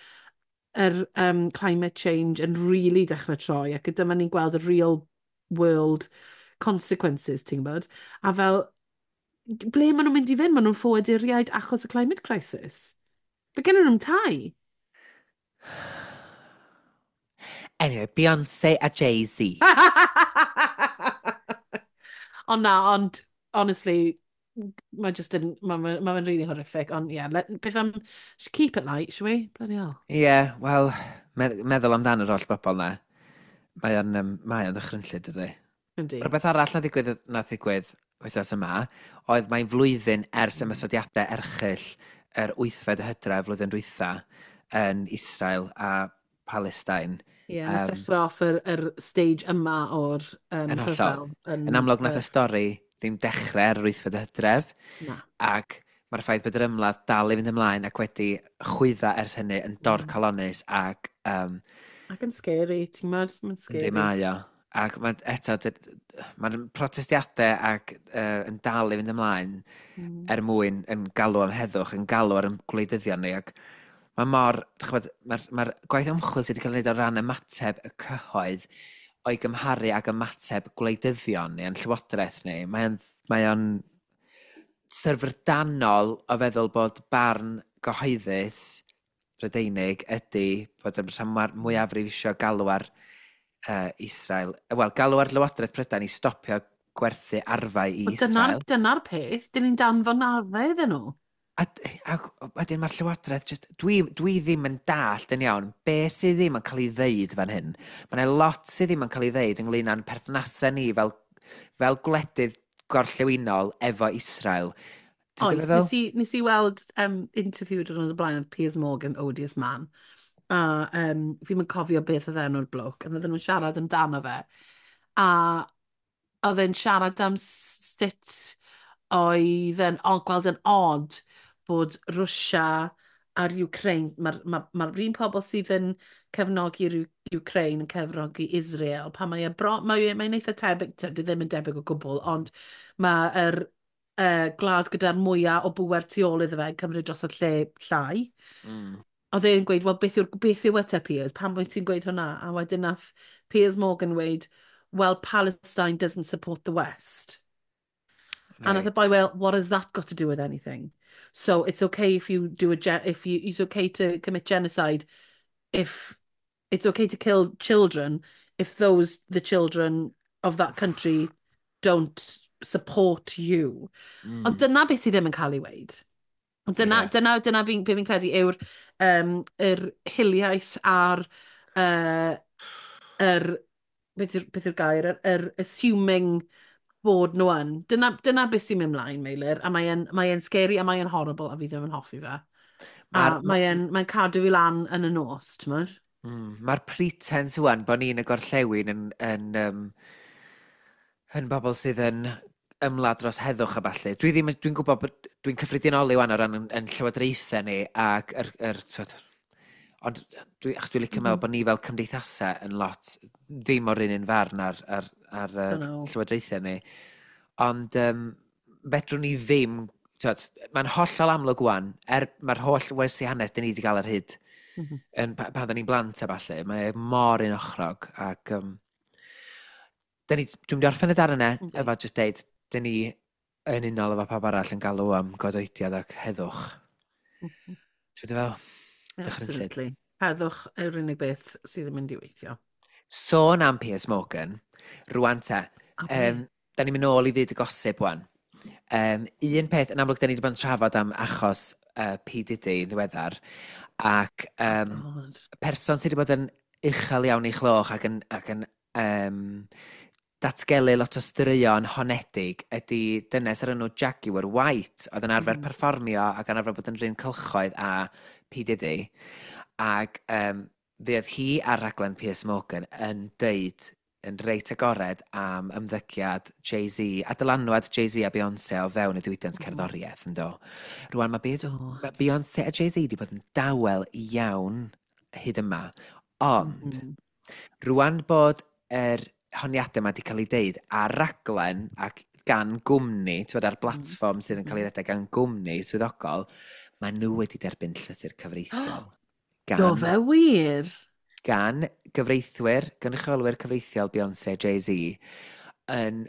yr um, climate change yn really dechrau troi, ac dyma ni'n gweld y real world consequences, ti'n gwybod? A fel, ble maen nhw'n mynd i fynd? Maen nhw'n ffoaduriaid achos y climate crisis. Fe gen nhw'n tai. Anyway, Beyoncé a Jay-Z. Ond na, ond, honestly, Mae just yn, mae'n ma, ma really horrific, ond ie, yeah, beth am, keep it light, shall we? Bloody hell. Ie, yeah, wel, meddwl amdan yr holl bobl na. Mae o'n, um, mae o'n ddychrynllyd, dydy. Yndi. Rhywbeth arall na ddigwydd, na ddigwydd wythnos yma, oedd mae'n flwyddyn ers mm. ymosodiadau erchyll yr wythfed y hydref flwyddyn dwytha yn Israel a Palestine. Ie, yeah, um, ddechrau off yr, yr stage yma o'r um, yn hollol. Yn, yn amlwg nath y stori ddim dechrau ar yr wythfed y hydref. Na. Ac mae'r ffaith bod yr ymladd dal i fynd ymlaen ac wedi chwydda ers hynny yn dorcalonnus ac... Um, ac yn scary, ti'n gwybod? Mae'n scary. Yndi, mae o. Ac mae eto, mae'r protestiadau ac uh, yn dal i fynd ymlaen mm. er mwyn yn galw am heddwch, yn galw ar y gwleidyddion ni. Ac mae mor, ch'mod, mae'r mae gwaith ymchwil sydd wedi cael ei wneud o ran ymateb y cyhoedd o'i gymharu ag ymateb gwleidyddion ni, yn llywodraeth ni, mae'n mae o'n syfrdanol o feddwl bod barn gyhoeddus Brydeinig ydy bod y rhan mwyafrif isio galw ar uh, Israel, wel, galw ar Lywodraeth Prydain i stopio gwerthu arfau i Israel. Dyna'r dyna peth, dyn ni'n danfon arfau iddyn nhw. A, a wedyn mae'r llywodraeth, just, dwi, dwi ddim yn dallt yn iawn be sydd ddim yn cael ei ddeud fan hyn. Mae yna lot sydd ddim yn cael ei ddeud ynglyn â'n perthnasau ni fel, fel gwledydd gorllewinol efo Israel. Oes, nes i, nes i weld um, interview dyn nhw'n blaen oedd Piers Morgan, Odious Man. A um, fi'n mynd cofio beth oedd enw'r bloke, a oedden nhw'n siarad amdano fe. A oedd e'n siarad am sut oedd e'n gweld yn odd bod Rwsia a'r Ukraine, mae'r ma, ma un pobl sydd yn cefnogi'r Ukraine yn cefnogi Israel, pan mae e bro, mae, mae'n eitha tebyg, di ddim yn debyg o gwbl, ond mae'r uh, gwlad gyda'r mwyaf o bŵer tu ôl iddo fe yn cymryd dros y lle llai. Mm. Oedd e'n gweud, wel, beth yw'r beth yw e te, Piers? Pam wyt ti'n gweud hwnna? A wedyn nath Piers Morgan weud, well, Palestine doesn't support the West. Right. And the boy, well, what has that got to do with anything? So it's okay if you do a if you it's okay to commit genocide if it's okay to kill children if those the children of that country don't support you. Mm. Ond dyna beth sydd ddim yn cael ei weud. Dyna, yeah. dyna, dyna fi'n fi credu yw'r um, yr hiliaeth a'r uh, yr, beth yw'r, beth yw'r gair, yr, yr assuming bod nhw yn. Dyna, dyna beth sy'n mynd mlaen, Meilir, a mae'n mae scary a mae'n horrible a fi ddim yn hoffi fe. A mae'n mae cadw fi lan yn y nos, ti'n mynd? Mm, Mae'r pretense wan bod ni'n y gorllewin yn, yn, um, yn bobl sydd yn ymladd dros heddwch a ballu. Dwi ddim, dwi'n gwybod bod dwi'n cyffredinoli wan o ran yn, yn llywodraethau ni ac yr, yr, twyd, ond dwi, achos dwi'n licio mm -hmm. meddwl bod ni fel cymdeithasau yn lot ddim o'r un un farn ar, ar, ar, ar llywodraethau ni. Ond um, fedrwn ni ddim, twyd, mae'n hollol amlwg wan, er mae'r holl wersi hanes dyn ni wedi cael ar hyd mm -hmm. yn, pan oedden ni'n blant a falle, mae mor un ochrog ac um, dyn ni, dwi'n mynd i orffen y darn yna, okay. efo just deud, dyn ni yn unol efo pawb arall yn galw am godoediad ac heddwch. Mm -hmm. Ti'n fel? Absolutely. Heddwch yw'r unig beth sydd yn mynd i weithio. Sôn am Piers Morgan, rwan te, um, da ni'n mynd nôl i fyd y gosip wan. Um, un peth, yn amlwg, da ni wedi bod yn trafod am achos uh, P. Diddy yn ddiweddar, ac um, person sydd wedi bod yn uchel iawn ei chloch ac yn, ac yn um, datgelu lot o straeon honedig ydy dynes ar enw Jaguar White, oedd yn arfer mm. perfformio ac yn arfer bod yn rhan cylchoedd a P. Diddy. Ac um, fe oedd hi ar raglen Piers Morgan yn deud yn reit agored am ymddygiad Jay-Z a dylanwad Jay-Z a Beyoncé o fewn y diwydiant mm. cerddoriaeth yn do. Rwan mae, Be mae Beyoncé a Jay-Z wedi bod yn dawel iawn hyd yma, ond mm -hmm. rwan bod yr honiadau yma wedi cael ei deud ar raglen ac gan gwmni, ti'n bod ar blatfform sydd yn cael ei redeg gan gwmni swyddogol, mae nhw wedi derbyn llythyr cyfreithiol. Gan, Do fe wir? Gan gyfreithwyr, gynrychiolwyr cyfreithiol Beyoncé, Jay-Z, yn,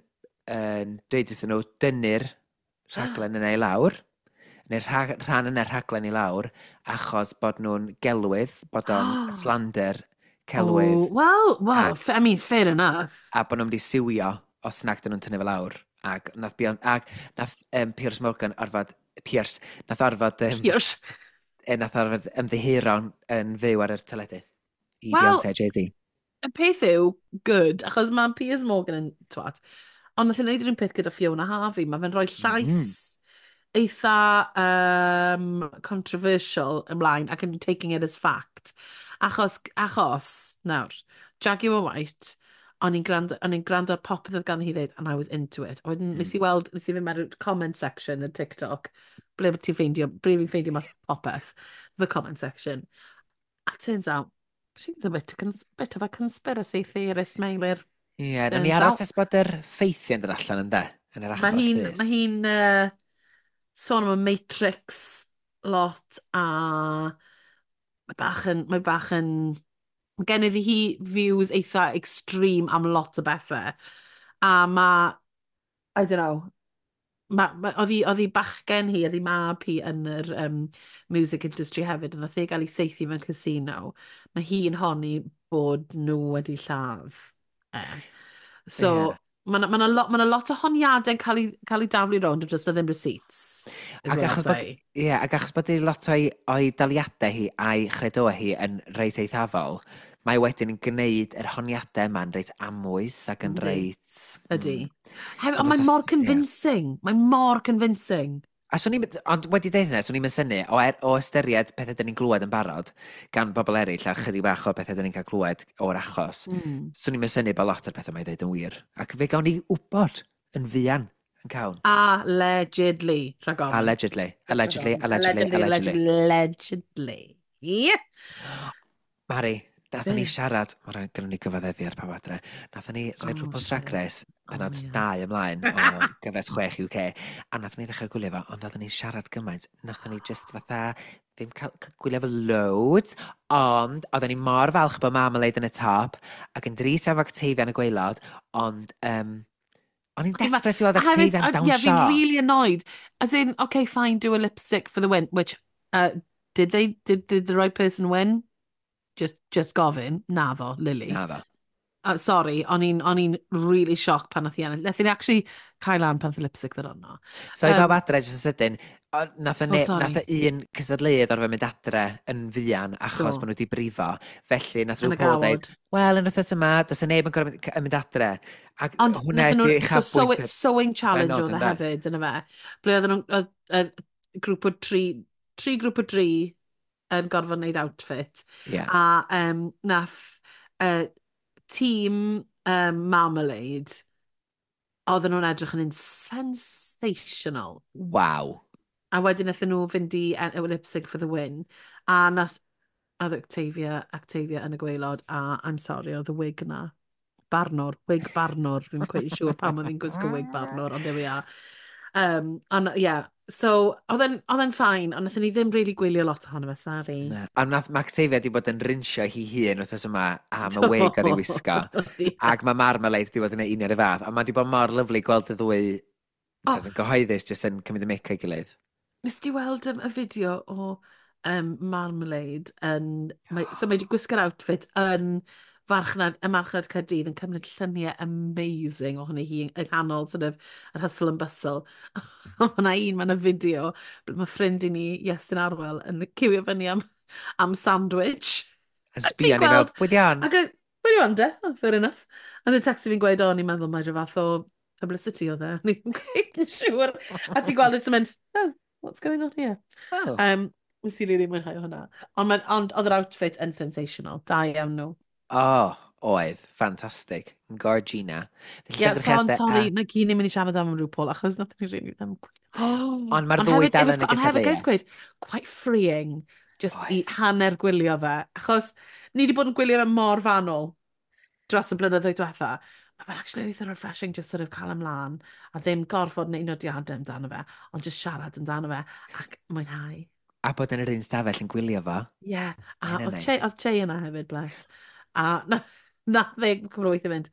yn dweud wrthyn nhw dynnu'r rhaglen yna i lawr, neu'r rhag, rhan yna'r rhaglen i lawr, achos bod nhw'n gelwydd, bod o'n slander celwydd. Oh, well, well, ac, I mean, fair enough. A bod nhw'n mynd i siwio os nag dyn nhw'n tynnu fe lawr. Ac nath Beyonce, ac nath um, Piers Morgan orfod, Piers, nath orfod, um, Piers. E, nath orfod ymddiheuro'n yn fyw ar y teledu. I Wel, Beyonce a Jay-Z. Y peth yw, good, achos mae Piers Morgan yn twat, ond nath ei wneud yr un peth gyda Fiona Harvey. Mae fe'n rhoi llais mm -hmm. eitha um, controversial ymlaen ac yn taking it as fact. Achos, achos, nawr, Jaguar White, o'n i'n gwrando, o'n i'n gwrando ar popeth oedd gan hi ddweud, and I was into it. A wedyn mm. nes i weld, nes i fynd mewn comment section ar TikTok, ble ti'n ffeindio, ble fi'n ffeindio mas popeth, the comment section. A turns out, she's a bit, bit of a conspiracy theorist, Meilir. Ie, yeah, nawn ni aros nes bod yr ffeithiau'n dod allan yn de, yn yr achos Mae hi'n ma hi uh, sôn am y Matrix lot a mae bach yn, mae bach yn, mae gen iddi hi views eitha extreme am lot o bethau. A mae, I don't know, ma, ma, oedd hi, oedd hi bachgen hi, oedd hi mab hi yn yr um, music industry hefyd, a nath ei gael ei saethu mewn casino. Mae hi'n honni bod nhw wedi lladd e. So, yeah. Mae yna ma lot, ma lot o honiadau'n cael ei, cael ei daflu rownd, ond just na ddim receipts. Ac achos, bod, yeah, ac achos bod lot o'i, o'i daliadau hi a'i chredoau hi yn reit eithafol, mae wedyn yn gwneud yr honiadau yma'n reit amwys ac yn reit. Ydy. Mm. Hefyd, so, ond mae'n mor convincing. Yeah. Mae'n mor convincing. A swn i'n, ond wedi deud hynny, swn i'n synnu, o, er, o ystyried pethau dyn ni'n glywed yn barod gan bobl eraill a chydig bach o pethau dyn ni'n cael glywed o'r achos, mm. swn i'n synnu bod lot o'r pethau mae'n dweud yn wir. Ac fe gawn ni wybod yn fuan yn cawn. Allegedly, rhag ofn. Allegedly, allegedly, allegedly, allegedly. Allegedly. Yeah. Mari, nathon ni siarad, mae rhaid gynnon ni gyfaddefu ar pawb adre, nathon ni rhaid oh, RuPaul's Drag Race, penod oh, yeah. dau ymlaen o gyfres chwech U K, a nathon ni ddechrau gwylio fo, ond nathon ni siarad gymaint, nathon ni just fatha, ddim cael gwylio fo loads, ond oedden ni mor falch bod Marmalade yn y top, ac yn drist efo Octavia yn y gwaelod, ond um, o'n i'n desperate i weld Octavia yn dawnsio. Yeah, fi'n really annoyed. As in, okay, fine, do a lipstick for the win, which, uh, did they, did, did the right person win? Just, just gofyn, naddo, Lily. Naddo. Uh, sorry, o'n i'n o'n i'n really shocked pan nath i ennill. Nath i'n actually cael lan pan nath i lipstick ddod arno. So i bawb adre, jyst yn sydyn, nath o oh, nath o un cystadleuydd orfod mynd adre yn fuan achos bod nhw wedi brifo. Felly nath RuPaul dweud, wel, yn wythnos yma, does y neb yn gorfod mynd adre. Ac ond hwnna ydi uchafbwynt. So, sewing challenge oedd e hefyd, yna fe. Ble oedden nhw, grŵp o tri, tri grŵp o dri yn gorfod wneud outfit. Yeah. A um, nath uh, tîm um, Marmalade, oedden nhw'n edrych yn sensational. Wow. A wedyn nathon nhw fynd i uh, lip sync for the win. A nath, oedd Octavia, Octavia yn y gwaelod, a I'm sorry, oedd y wig yna. Barnwr, wig barnwr. Fi'n quite siŵr pam oedd hi'n gwisgo wig barnwr, ond there we are. Um, ond, yeah, so, oedd e'n fine, ond nathon ni ddim really gwylio lot ohono fe, sorry. Na. A nath mae Octavia wedi bod yn rinsio hi hun wythnos yma am y wig oedd ei wisgo. Yeah. Ac mae Marmalade wedi bod yn ei union y fath. A mae wedi bod mor lyfli gweld y ddwy oh. yn gyhoeddus jyst yn cymryd y mic o'i gilydd. Nes ti weld um, y fideo o um, Marmalade yn... Mae, so mae wedi gwisgo'r outfit yn farchnad, y marchnad Caerdydd yn cymryd lluniau amazing ohoni hi yng nghanol sort of, yr hustle and bustle. Mae yna un, mae yna fideo, ble mae ffrind i ni, Iestyn Arwel, yn ciwio fyny am, am sandwich. Yn sbio ni fel, pwy di on? Ac pwy di on de? Oh, fair enough. A the text fi'n gweud, o, ni'n meddwl mae rhyw fath o publicity oedd e. Ni ddim cweit yn siŵr. A ti'n gweld e, ti'n mynd, oh, what's going on here? Oh. Um, Nes i really mwynhau hwnna. Ond, ond oedd yr outfit yn sensational. Da iawn nhw. Oh, oedd. Fantastic. Gorgina. Ie, yeah, so, sorry, na gyd ni'n mynd i siarad am RuPaul, achos nath ni really ddim gwylio. Ond mae'r ddwy dal yn y gystadleuaeth. Ond hefyd, guys, gweud, quite freeing, just i hanner gwylio fe. Achos ni wedi bod yn gwylio fe mor fanwl dros y blynyddoedd diwetha. Mae fe'n actually eitha refreshing just sort of cael ymlaen a ddim gorfod wneud nodiadau amdano fe, ond just siarad amdano fe ac mwynhau. A bod yn yr un stafell yn gwylio fo. Ie, yeah, a oedd Che, oedd Che yna hefyd, bless. A na, na dde cwbl o weithio mynd,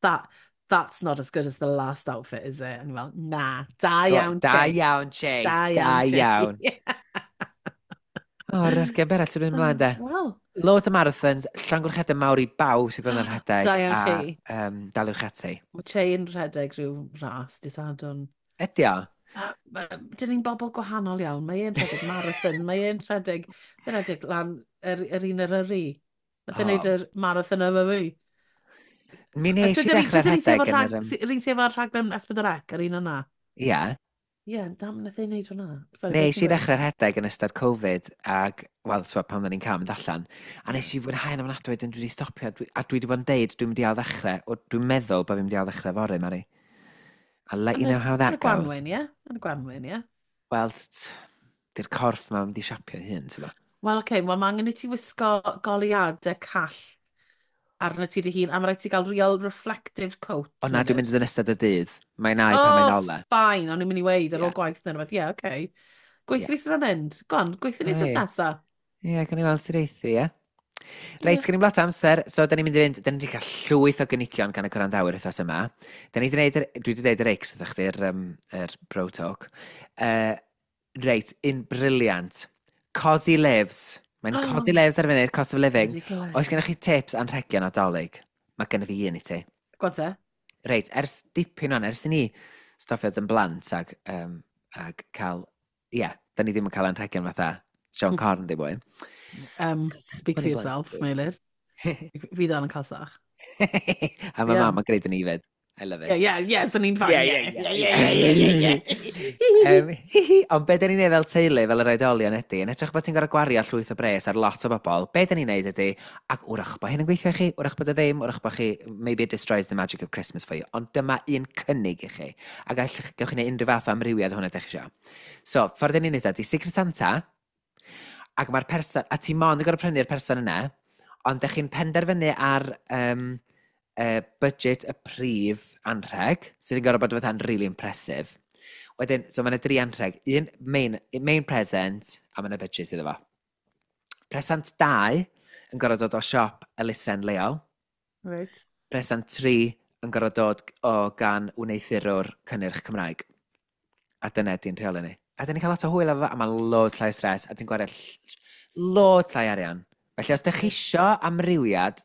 that, that's not as good as the last outfit, is it? And fel, na, da iawn, Che. Da iawn, Che. Da iawn, Da iawn. O, yr argen berall sy'n mynd ymlaen, de. Wel, Loads o marathons, llongyfarchiadau mawr i bawb sydd bod yn rhedeg. Da iawn a, chi. Um, daliwch ati. Mae Che yn rhedeg rhyw ras, dydd Sadwrn. Ydy o? Dyn ni'n bobl gwahanol iawn. Mae e'n rhedeg marathon, mae e'n rhedeg, mae'n rhedeg lan yr, yr un Eryri. Nath e'n O. neud yr marathon yma fi. Mi nes i ddechrau rhedeg yn yr... yym, Yr un sydd efo'r rhaglen S pedwar C, yr un yna. Ie. Ie, dam nath e'n neud hwnna. Sorry, beth Nes ti'n i gweud? ddechrau rhedeg yn ystod Covid ac, wel, ti'n pan oedden ni'n cael mynd allan, a nes i fwynhau yn ofnadwy, wedyn dwi wedi stopio, dwi, a dwi wedi bod yn deud dwi'n mynd i ail ddechrau, o, dwi'n meddwl bod fi'n mynd i ail ddechrau fory, Mari. I'll let you Yn y- know how that Yn y goes. gwanwyn, ie? Yn y gwanwyn, ie? Wel, t- di'r corff ma'n mynd i siapio hun, ti'n bo. Wel, oce, okay, wel, mae angen i ti wisgo goleuadau call arno ti dy hun, a mae rhaid ti gael real reflective coat. O na, dwi'n Meilir. mynd yn ystod y dydd. Mae'n ai pan mae'n Oh, ola. fine, o'n i'n mynd i weud ar ôl Ie. gwaith neu rhywbeth. Ie, oce. Okay. Gweithio Ie. fi sydd yn mynd. Go on, gweithio ni Ei. wythnos nesa. Ie, gawn ni weld sut eithi, ie? Reit, Ie. gen i'n lot o amser, so da ni'n mynd i fynd, da ni wedi cael llwyth o gynigion gan y gwrandawyr wythnos yma. Da ni wedi gwneud, yr- dwi wedi gwneud yr X, ydych chdi'r um, yr bro talk. Uh, reit, un brilliant. Cosy Lives. Mae'n Oh. Cosy Lives ar y funud, cost of living. Bloody glei. Oes gennych chi tips anrhegion Nadolig? Mae gennych fi un i ti. Go on te. Reit, ers dipyn o'n, ers i ni stopio yn blant ag, um, ag cael, ie, yeah, da ni ddim yn cael anrhegion fatha Siôn Corn ddim mwy. Um, speak for Funny yourself, blant. Meilir. Fi dal yn cael sach. A mae Ie. mam yn gwneud yn ifed. I love it. Yeah, yeah, yeah, so ni'n fine. Yeah, Yeah, yeah, yeah, yeah, yeah, yeah, yeah. Um, hihi, ond be da ni'n neud fel teulu, fel yr oedolion ydy, yn edrych bod ti'n gorfod gwario llwyth o bres ar lot o bobl, be da ni'n neud ydy, ac wrach bod hyn yn gweithio i chi, wrach bod o ddim, wrach bod chi, maybe it destroys the magic of Christmas for you, ond dyma un cynnig i chi, ac allwch, gewch chi neud unrhyw fath o amrywiad hwnna ydych chi isio. So, ffordd da ni'n neud ydy Secret Santa, ac mae'r person, a ti mond yn gorfod prynu'r person yna, ond ydych chi'n penderfynu ar um, uh, budget y prif anrheg, sydd yn gorfod bod fatha'n really impressive. Wedyn, so mae yna dri anrheg. Un main, main present, a mae yna budget iddo fo. Present dau yn gorfod dod o siop elusen leol. Right. Present tri yn gorfod dod o gan wneuthurwr cynnyrch Cymraeg. A dyna di'n rheolau ni. A dyn ni'n cael lot o hwyl efo fo, a mae loads llai o stres, a ti'n gwario ll- loads llai arian. Felly os ydych chi isio amrywiad,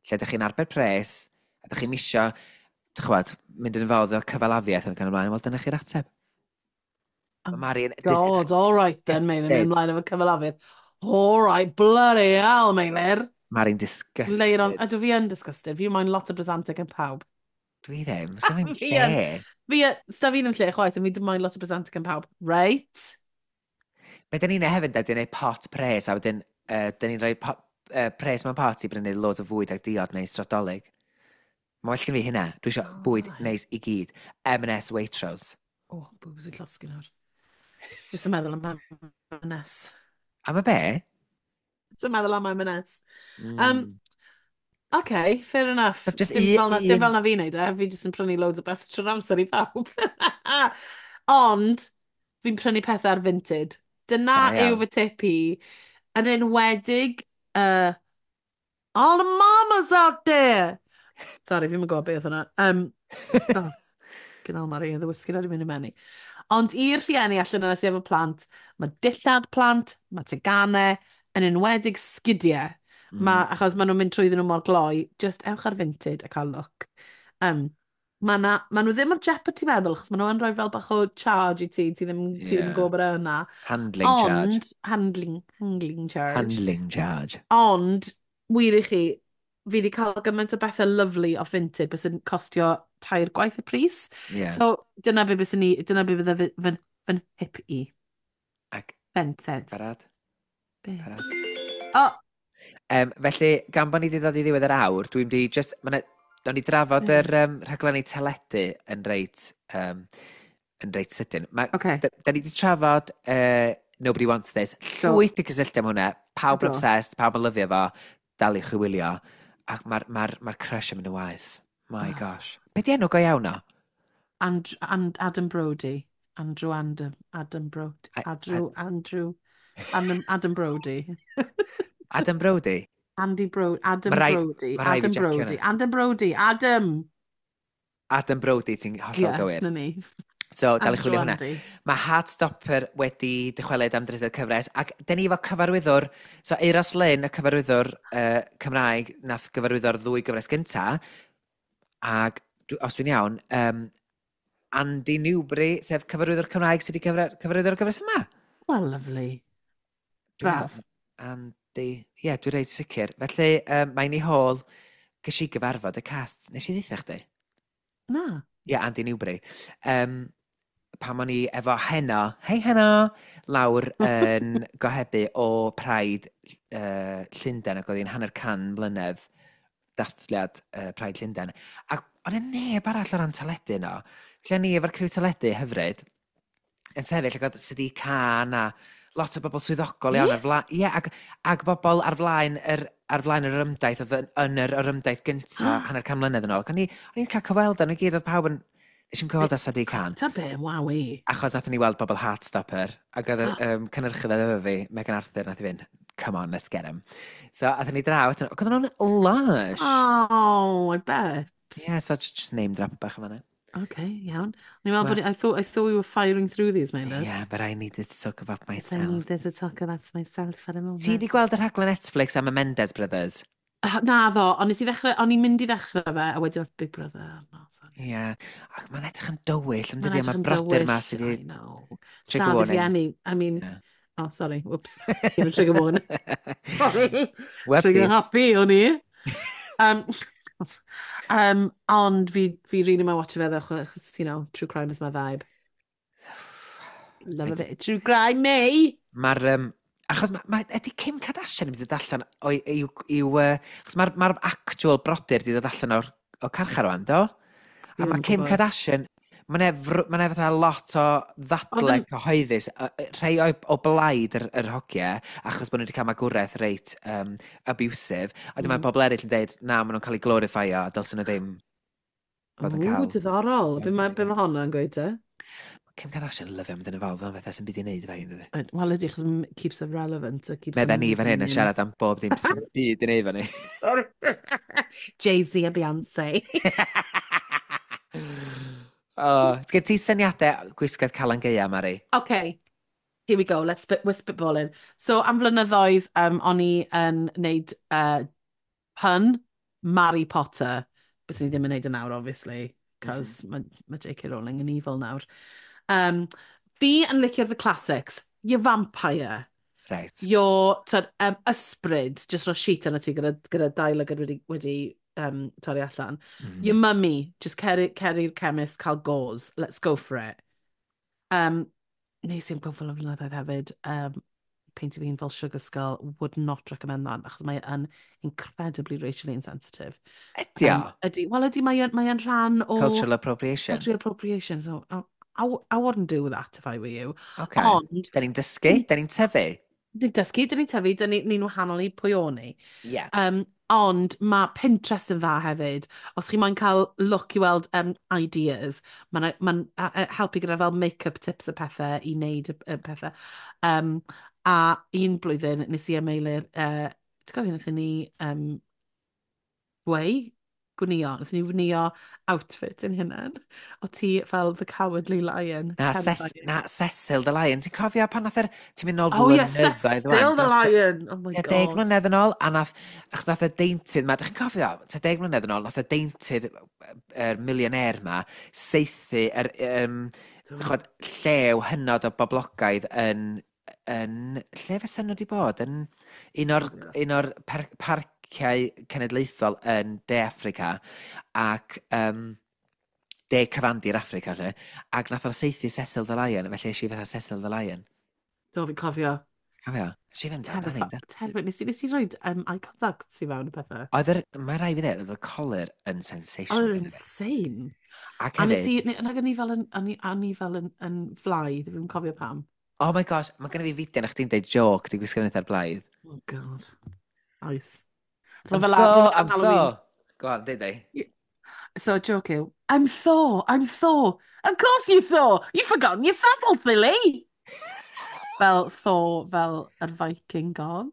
lle ydych chi'n arbed pres, a ydych chi'n misio, dych chwbod, mynd yn involved o cyfalafiaeth yn y ymlaen, wel dyna chi'r ateb. Oh Mae Mari'n... God, all right then, Meilir, mynd Disgusted. ymlaen efo cyfalafiaeth. All right, bloody hell, Meilir. Mari'n Later on, disgusted. ydw fi yn disgusted. Fi moyn lot o bresantau gan pawb. Dwi ddim, sgan i'm Fi yn. lle. Fi, sta fi ddim lle chwaith, ond fi dim moyn lot o bresantau gan pawb. Right? Be da ni'n neud hefyd, da, di neud pot pres, a wedyn, uh, da ni'n rhoi pot, uh, pres mewn pot i brynu loads o fwyd ac diod neis dros Dolig. Mae well gen fi hynna. Dwi eisiau Oh, bwyd right. neis i gyd. M and S Waitrose. Oh, boobs yn llosgi nawr. Jyst yn meddwl am M and S. Am y be? Jyst yn meddwl am M and S. Mm. Um, Okay, fair enough. But just Dim un- fel na, dim un- fel na fi'n neud e, fi jyst yn prynu loads o beth trwy'r amser i pawb. Ond, fi'n prynu pethau ar Vinted. Dyna Da yw iawn. fy tip i. Yn enwedig, uh, all the mamas out there! Sorry, fi'n gwybod beth hwnna. Um, oh, Gynnal Mari, oedd y whisky wedi mynd i mewn i. Ond i'r rhieni allan yna sydd efo plant, mae dillad plant, mae teganau, yn enwedig sgidiau. Mm. Ma, achos maen nhw'n mynd trwyddyn nhw mor gloi, just ewch ar Vinted a cael look. Um, ma na, ma nhw ddim ar jeopardy meddwl, achos maen nhw yn rhoi fel bach o charge i ti, ti ddim, ti ddim yn Ie. gwybod bod e yna. Handling charge. Ond, handling, handling charge. Handling charge. Ond, wir i chi, fi wedi cael gymaint o bethau lovely o Vinted bys yn costio tair gwaith y pris. Yeah. So, dyna be bys ni, dyna be bydde fy, fy, fy nhip i. Ac Vinted. barod? Be? Barod. O, Um, felly, gan bod ni wedi dod i ddiwedd yr awr, dwi'n di just... Ma' 'na- nawn ni drafod Mm. yr um, rhaglenni teledu yn reit, um, yn reit sydyn. Ma, Ocê. Da, da ni wedi trafod uh, Nobody Wants This. Do. Llwyth i cysylltu am hwnna. Pawb yn Do. obsessed, pawb yn lyfio fo. Daliwch i wylio. Ac mae'r ma ma crush yn mynd yn waeth. My Ah. gosh. Be di enw go iawn o? And, and Adam Brody. Andrew Adam, Adam Brody. I- Andrew, Andrew, Adam, Adam Brody. Adam Brody? Andy Brody, Adam Ma' rai- Brody, ma' rai fi Adam jecio Brody, hwnna. Adam Brody, Adam! Adam Brody, ti'n hollol Ie, gywir. na ni. So, dal i Andrew chwilio hwnna. Andy. Mae Heartstopper wedi dychwelyd am drydydd cyfres, ac dyn ni efo cyfarwyddwr, so Euros Lyn, y cyfarwyddwr uh, Cymraeg, nath gyfarwyddo'r ddwy gyfres gynta, ac dwi- os dwi'n iawn, um, Andy Newbury, sef cyfarwyddwr Cymraeg sydd wedi cyfra- cyfarwyddo'r gyfres yma. Well, lovely. Dwi'n Braf. meddwl- Andy, ie, yeah, dwi'n reit sicr. Felly, um, mae'n i hôl, ges i gyfarfod y cast, nes i ddeutha chdi? Na. Ie, yeah, Andy Newbury. Um, pan o'n i efo Heno, hei Heno, lawr yn gohebu o Pride uh, Llundain, ac oedd hi'n hanner can mlynedd dathliad uh, Pride Llundain. Ac oedd e neb arall o ran teledu yno. Felly o'n i efo'r criw teledu hyfryd yn sefyll ac oedd Sadiq Khan a lot o bobl swyddogol iawn Ie? ar flaen. Ie, ac, ac bobl ar flaen yr, ar flaen yr ymdaith oedd yn, yn yr, yr ymdaith gynta hanner can mlynedd yn ôl. Ac o'n i, o'n i'n cael cyfweld â nhw i gyd, oedd pawb yn... Nes i'm cyfweld â Sadiq Khan. Ta be, wawi. Achos nathon ni weld bobl Heartstopper, ac oedd yr um, cynhyrchydd efo fi, Megan Arthur, nath i fynd, "Come on, let's get him." So, athon ni draw, ac oedden nhw'n lush. Oh, I bet. Yeah, so just, just name drop bach yma. Okay, iawn. O'n i'n meddwl Well- bod, I thought, I thought we were firing through these, Meilir. Yeah, but I needed to talk about I myself. needed to talk about myself for a moment. Ti wedi gweld y rhaglen Netflix am y Mendes Brothers? Uh, na ddo, ond nes i ddechrau, o'n i'n mynd i ddechrau fe, a wedyn oedd Big Brother. No, sorry. Ie. Yeah. Ac mae'n edrych yn dywyll, yn Mae'n dydi, edrych am y yn brodyr ma dywyll, sydd wedi I know. Trigger Lladd y warning. rhieni. I mean, Yeah. oh, sorry, whoops. Give a trigger warning. Sorry. Trigger Websies. happy, o'n i. Um, um, ond fi, fi really mae'n watch fe ddo, achos, you know, true crime is my vibe. Love a bit of true crime, me! Mae'r... Um, achos ma, ma, ydy Kim Kardashian yn mynd i ddod allan o'i... i'w, i'w, uh, achos mae'r ma actual brodyr wedi dod allan o'r, o carchar rwan, do? A Fi ddim mae yn Kim gwbod. Kardashian, Mae'n ma fatha lot o ddadle Oedd yn- cyhoeddus, yy, yy, rhai o, o blaid yr, yr hogiau, achos bod nhw wedi cael magwraeth reit um, abusive, a dyma Mm. pobl eraill yn deud, na, maen nhw'n cael eu glorifio, a dylsyn nhw ddim fod yn Ww, cael. diddorol. Be mae, Glorifio. be mae honna'n gweud te? Kim Kardashian lyfio mynd yn y fawr, fel sy'n byd i wneud efo hi, dydi? Wel ydy, achos m- keeps her relevant. It keeps Medda her ni fan hyn yn moving. siarad am bob dim sy'n byd i wneud efo ni. Jay-Z a Beyoncé. Oh, gen ti syniadau gwisgoedd Calan Gaea, Mari? Okay, here we go. Let's spit, we're spitballing. So, am flynyddoedd, um, o'n i yn neud uh, pun Mary Potter. Bys ni ddim yn neud yn nawr, obviously, cos mm -hmm. mae ma J K. Rowling yn evil nawr. Um, fi yn licio the classics. Your vampire. Right. Your tyd, um, ysbryd, just ro sheet arno ti gyda, gyda dau lygad wedi, wedi um, torri allan. Mm. Your mummy, just cer cer i'r chemist, cael gauze. Let's go for it. Um, nes i am gwbl o flynyddoedd hefyd, um, peintio fi'n fel Sugar Skull, would not recommend that, achos mae yn incredibly racially insensitive. Ydy o? Um, ydy, wel ydy, mae yn, mae yn rhan o Cultural appropriation. Cultural appropriation, so I, I, I wouldn't do that if I were you. Okay. Ond, Da ni'n dysgu, da ni'n tyfu. ni'n dysgu, dyn ni'n tyfu, dyn ni'n ni wahanol i pwy o'n ni. Yeah. Um, ond mae Pinterest yn dda hefyd. Os chi moyn cael look i weld um, ideas, mae'n ma helpu gyda fel make-up tips a pethau i wneud y, y pethau. Um, a un blwyddyn nes i a Meilir, uh, ti'n cofio wnaethon ni um, gweu? Gwnio. Wnaethon ni wnio outfit yn hunain. O ti fel the Cowardly Lion. Na, Ces Terrifying. na, Cecil the Lion. Ti'n cofio pan nath yr... Ti'n mynd nôl Oh yeah, flynyddoedd Cecil ŵan, the dros Lion. Oh my tua deg God. mlynedd yn ôl, a nath, achos nath y deintydd ma, dych chi'n cofio, tua deg mlynedd yn ôl, nath y deintydd, yr millionaire ma, saethu yr, um, chod, llew hynod o boblogaidd yn, yn, lle fysa nhw wedi bod? Yn un o'r, un o'r par parciau cenedlaethol yn De Affrica, ac um, De Cyfandir Affrica, lle, ac nath o saethu Cecil the Lion, felly es i fatha Cecil the Lion. Do, fi'n cofio. Cofio? Es i fynd amdani, Terrifi- da. Terrifying. Nes i, nes i rhoi um, eye contact i fewn y pethau. Oedd yr, mae rai fi ddweud, oedd y colur yn sensational. Oedd yn gynna fi. insane. Ac A nes hefyd, i, ne- nag o'n i fel yn, o'n i, o'n i fel yn, yn fly, ddim yn cofio pam. Oh my gosh, mae genna fi fideo na chdi'n deud joke, di gwisgo fyny ar blaidd. Oh God. Oes. I'm Fel Thor, I'm Halloween. Thor. Go on, deud ei. So, joke yw, "I'm Thor, I'm Thor. Of course you Thor. You've forgotten your saddle, Billy." Fel Thor, fel yr Viking god.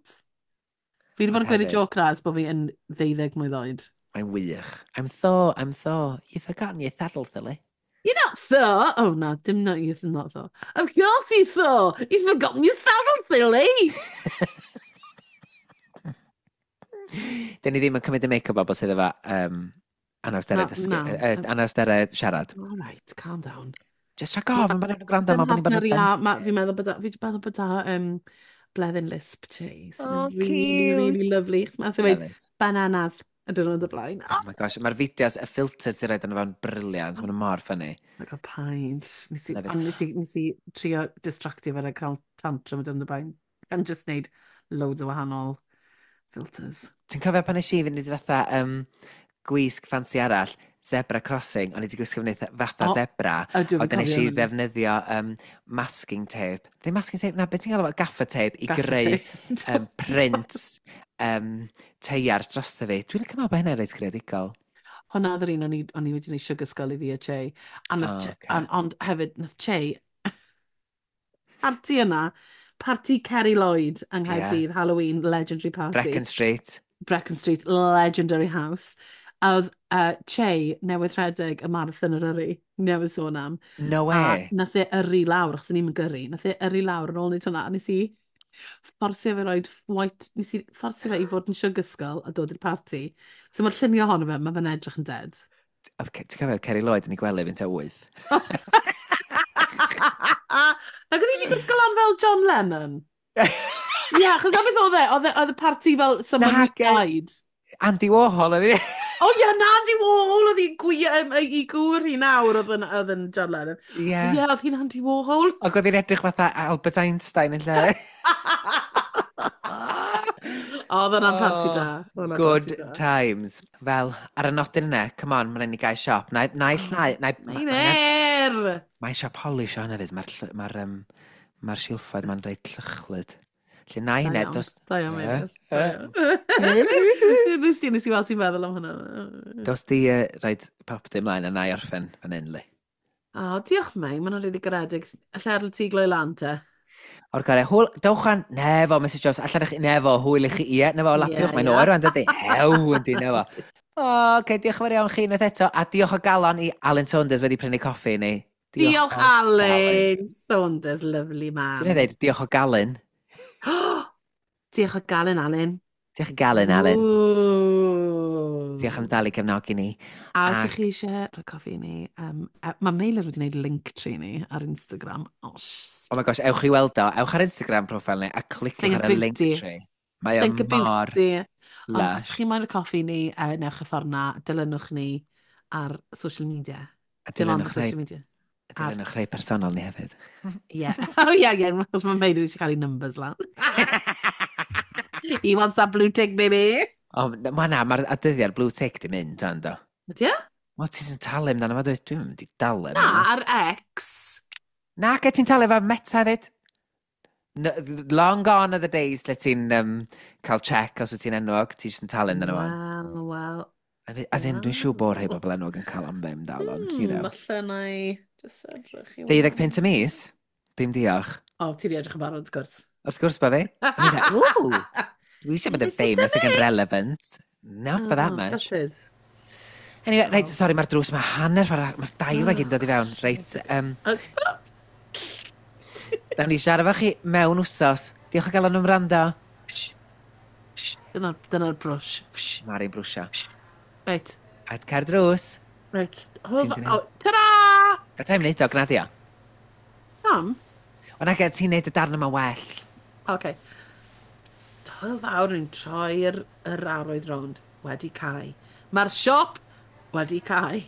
Fi wedi bod yn Ond gweud y hefyd- joke na ers bod fi yn ddeuddeg mlwydd oed. Mae'n wych. "I'm Thor, I'm Thor. You've forgotten your saddle, Billy." You're not Thor. Oh, no, dim not you're not Thor. Of course you're Thor. You've forgotten your saddle, Billy. Dyn ni ddim yn cymryd y make-up bobl sydd efo um, anawsterau dysgu, uh, anawsterau siarad. All right, calm down. Just rhag ofn, maen nhw'n gwrando, mae bod ni'n bod yn Fi'n meddwl bod fi'n meddwl bod um, Bleddyn Lisp Chase. Oh, really, cute. Really lovely. Mae'n dweud bananadd y diwrnod o blaen. Oh my gosh, mae'r fideos, y filter ti'n rhaid yn fo'n briliant, maen nhw mor ffynnu. Oh my god, paid. Nes i, ond nes i, nes i trio distractio fe a cael tantrum y diwrnod o blaen. And just neud loads o wahanol filters. Ti'n cofio pan nes i fynd i fatha um, gwisg ffansi arall, zebra crossing, o'n i wedi gwisgo fyny fatha oh, zebra, ond nes i ddefnyddio um, masking tape. Ddim masking tape, na, beth ti'n gael efo gaffer tape i gaffer greu um, print um, teiar drosto fi. Dwi'n licio meddwl bod hynny'n reit greadigol. Hwna oedd yr un o'n i, o'n i wedi gwneud sugar skull i fi a Che. A nath oh, okay. An, ond hefyd, nath Che, parti yna, parti Kerry Lloyd yng Nghaerdydd, yeah. Halloween, legendary party. Brecon Street. Brecon Street, legendary house. A oedd uh, Che newydd rhedeg y marathon yr yrru, newydd sôn am. No way. A nath e yrru lawr, achos o'n i'n gyrru, nath e yrru lawr yn ôl wneud hwnna, a nes i fforsio fe roed white, nes i fforsio fe i fod yn sugar skull a dod i'r parti. So mae'r llunio ohono fe, mae fe'n edrych yn dead. Ti'n cofio Kerry Lloyd yn ei gwely fynd tua wyth? Ac oedd hi wedi gwisgo lan fel John Lennon? Ie, yeah, achos na beth oedd e, oedd e, oedd y parti fel someone who died. Andy Warhol oedd hi. O ie, na Andy Warhol oedd hi'n gwir, um, i gŵr hi nawr oedd yn, oedd yn John Lennon. Ie. Yeah. Ie, oedd hi'n Andy Warhol. Ac oedd hi'n edrych fatha Albert Einstein yn lle. Oedd hwnna'n parti da. Good party da. Times. Fel, ar y nodyn yna, come on, mae'n rhaid ni gael siop. Na, naill, na, na, Meinir! Mae siop polish o hynna fyd. Mae'r ma um, ma silffoedd ma'n reit llychlyd. Lle na hynna, dos... Da iawn, Meinir. Nes ti, nes i weld ti'n meddwl am hwnna. Dos di uh, rhaid pop di ymlaen a na i orffen fan hyn, li. O, diolch, Mei. Mae'n rili garedig. Alla adael ti gloi lan te. O'r gorau, hwyl, dewch an, nefo, Missus Jones, allan eich, nefo, hwyl i chi, ie, nefo, lapiwch, yeah, mae'n yeah. oer rwan, dydy, hew, yndi, nefo. O, okay, diolch yn fawr iawn chi unwaith eto, a diolch o galon i Alan Saunders wedi prynu coffi i ni. Diolch, diolch Alan Saunders, lovely man. Dwi'n dweud, diolch o galon. Diolch o galon, Alan. Diolch o galon, Alan. Diolch am dal i gefnogi ni. A os ydych chi eisiau rhoi coffi i ni, um, mae Meilir wedi gwneud link tree ni ar Instagram. Oh, oh my gosh, ewch i weld o. Ewch ar Instagram profile ni a cliciwch ar y link tree. Mae o mor lush. Ond os ydych chi moyn rhoi coffi i ni, uh, newch y ffordd na, dilynwch ni ar social media. A dilynwch social media. A dilynwch rhai personol ni hefyd. Ie. Oh ie, ie, achos mae Meilir eisiau cael ei numbers lan. He wants that blue tick, baby. O, ma na, mae'r adyddiau'r blue tick di mynd, dan do. Ydy e? Wel, ti'n talu amdano fo, dwi'n mynd i dalu. Na, ar X. Na, ge ti'n talu efo Meta hefyd. No, long gone are the days lle ti'n um, cael check os wyt ti'n enwog, ti jyst yn talu amdano fo. Wel, wel. As in, dwi'n siŵr bod rhai bobl enwog yn cael am ddim dal, ond, you know. Falle na i just edrych i... Deuddeg punt y mis? Dim diolch. O, ti di edrych yn barod, wrth gwrs. Wrth gwrs, ba fi. Ww! Dwi eisiau bod yn famous ac yn relevant. Not for that much. Gutted. Anyway, reit, sorry, mae'r drws, mae hanner ffordd, mae'r dail mae gyd yn dod i fewn. Reit, um, Nawn ni siarad efo chi mewn wsos. Diolch o galon am wrando. Dyna'r dyna brwsh. Mari'n brwsio. Reit. A cer drws. Reit. Ta-ra! A tra'n wneud o, gwna di o. Pam? O na, ti'n neud y darn yma well. Oce. Hwyl fawr yn troi'r yr arwydd rownd wedi cau. Mae'r siop wedi cau.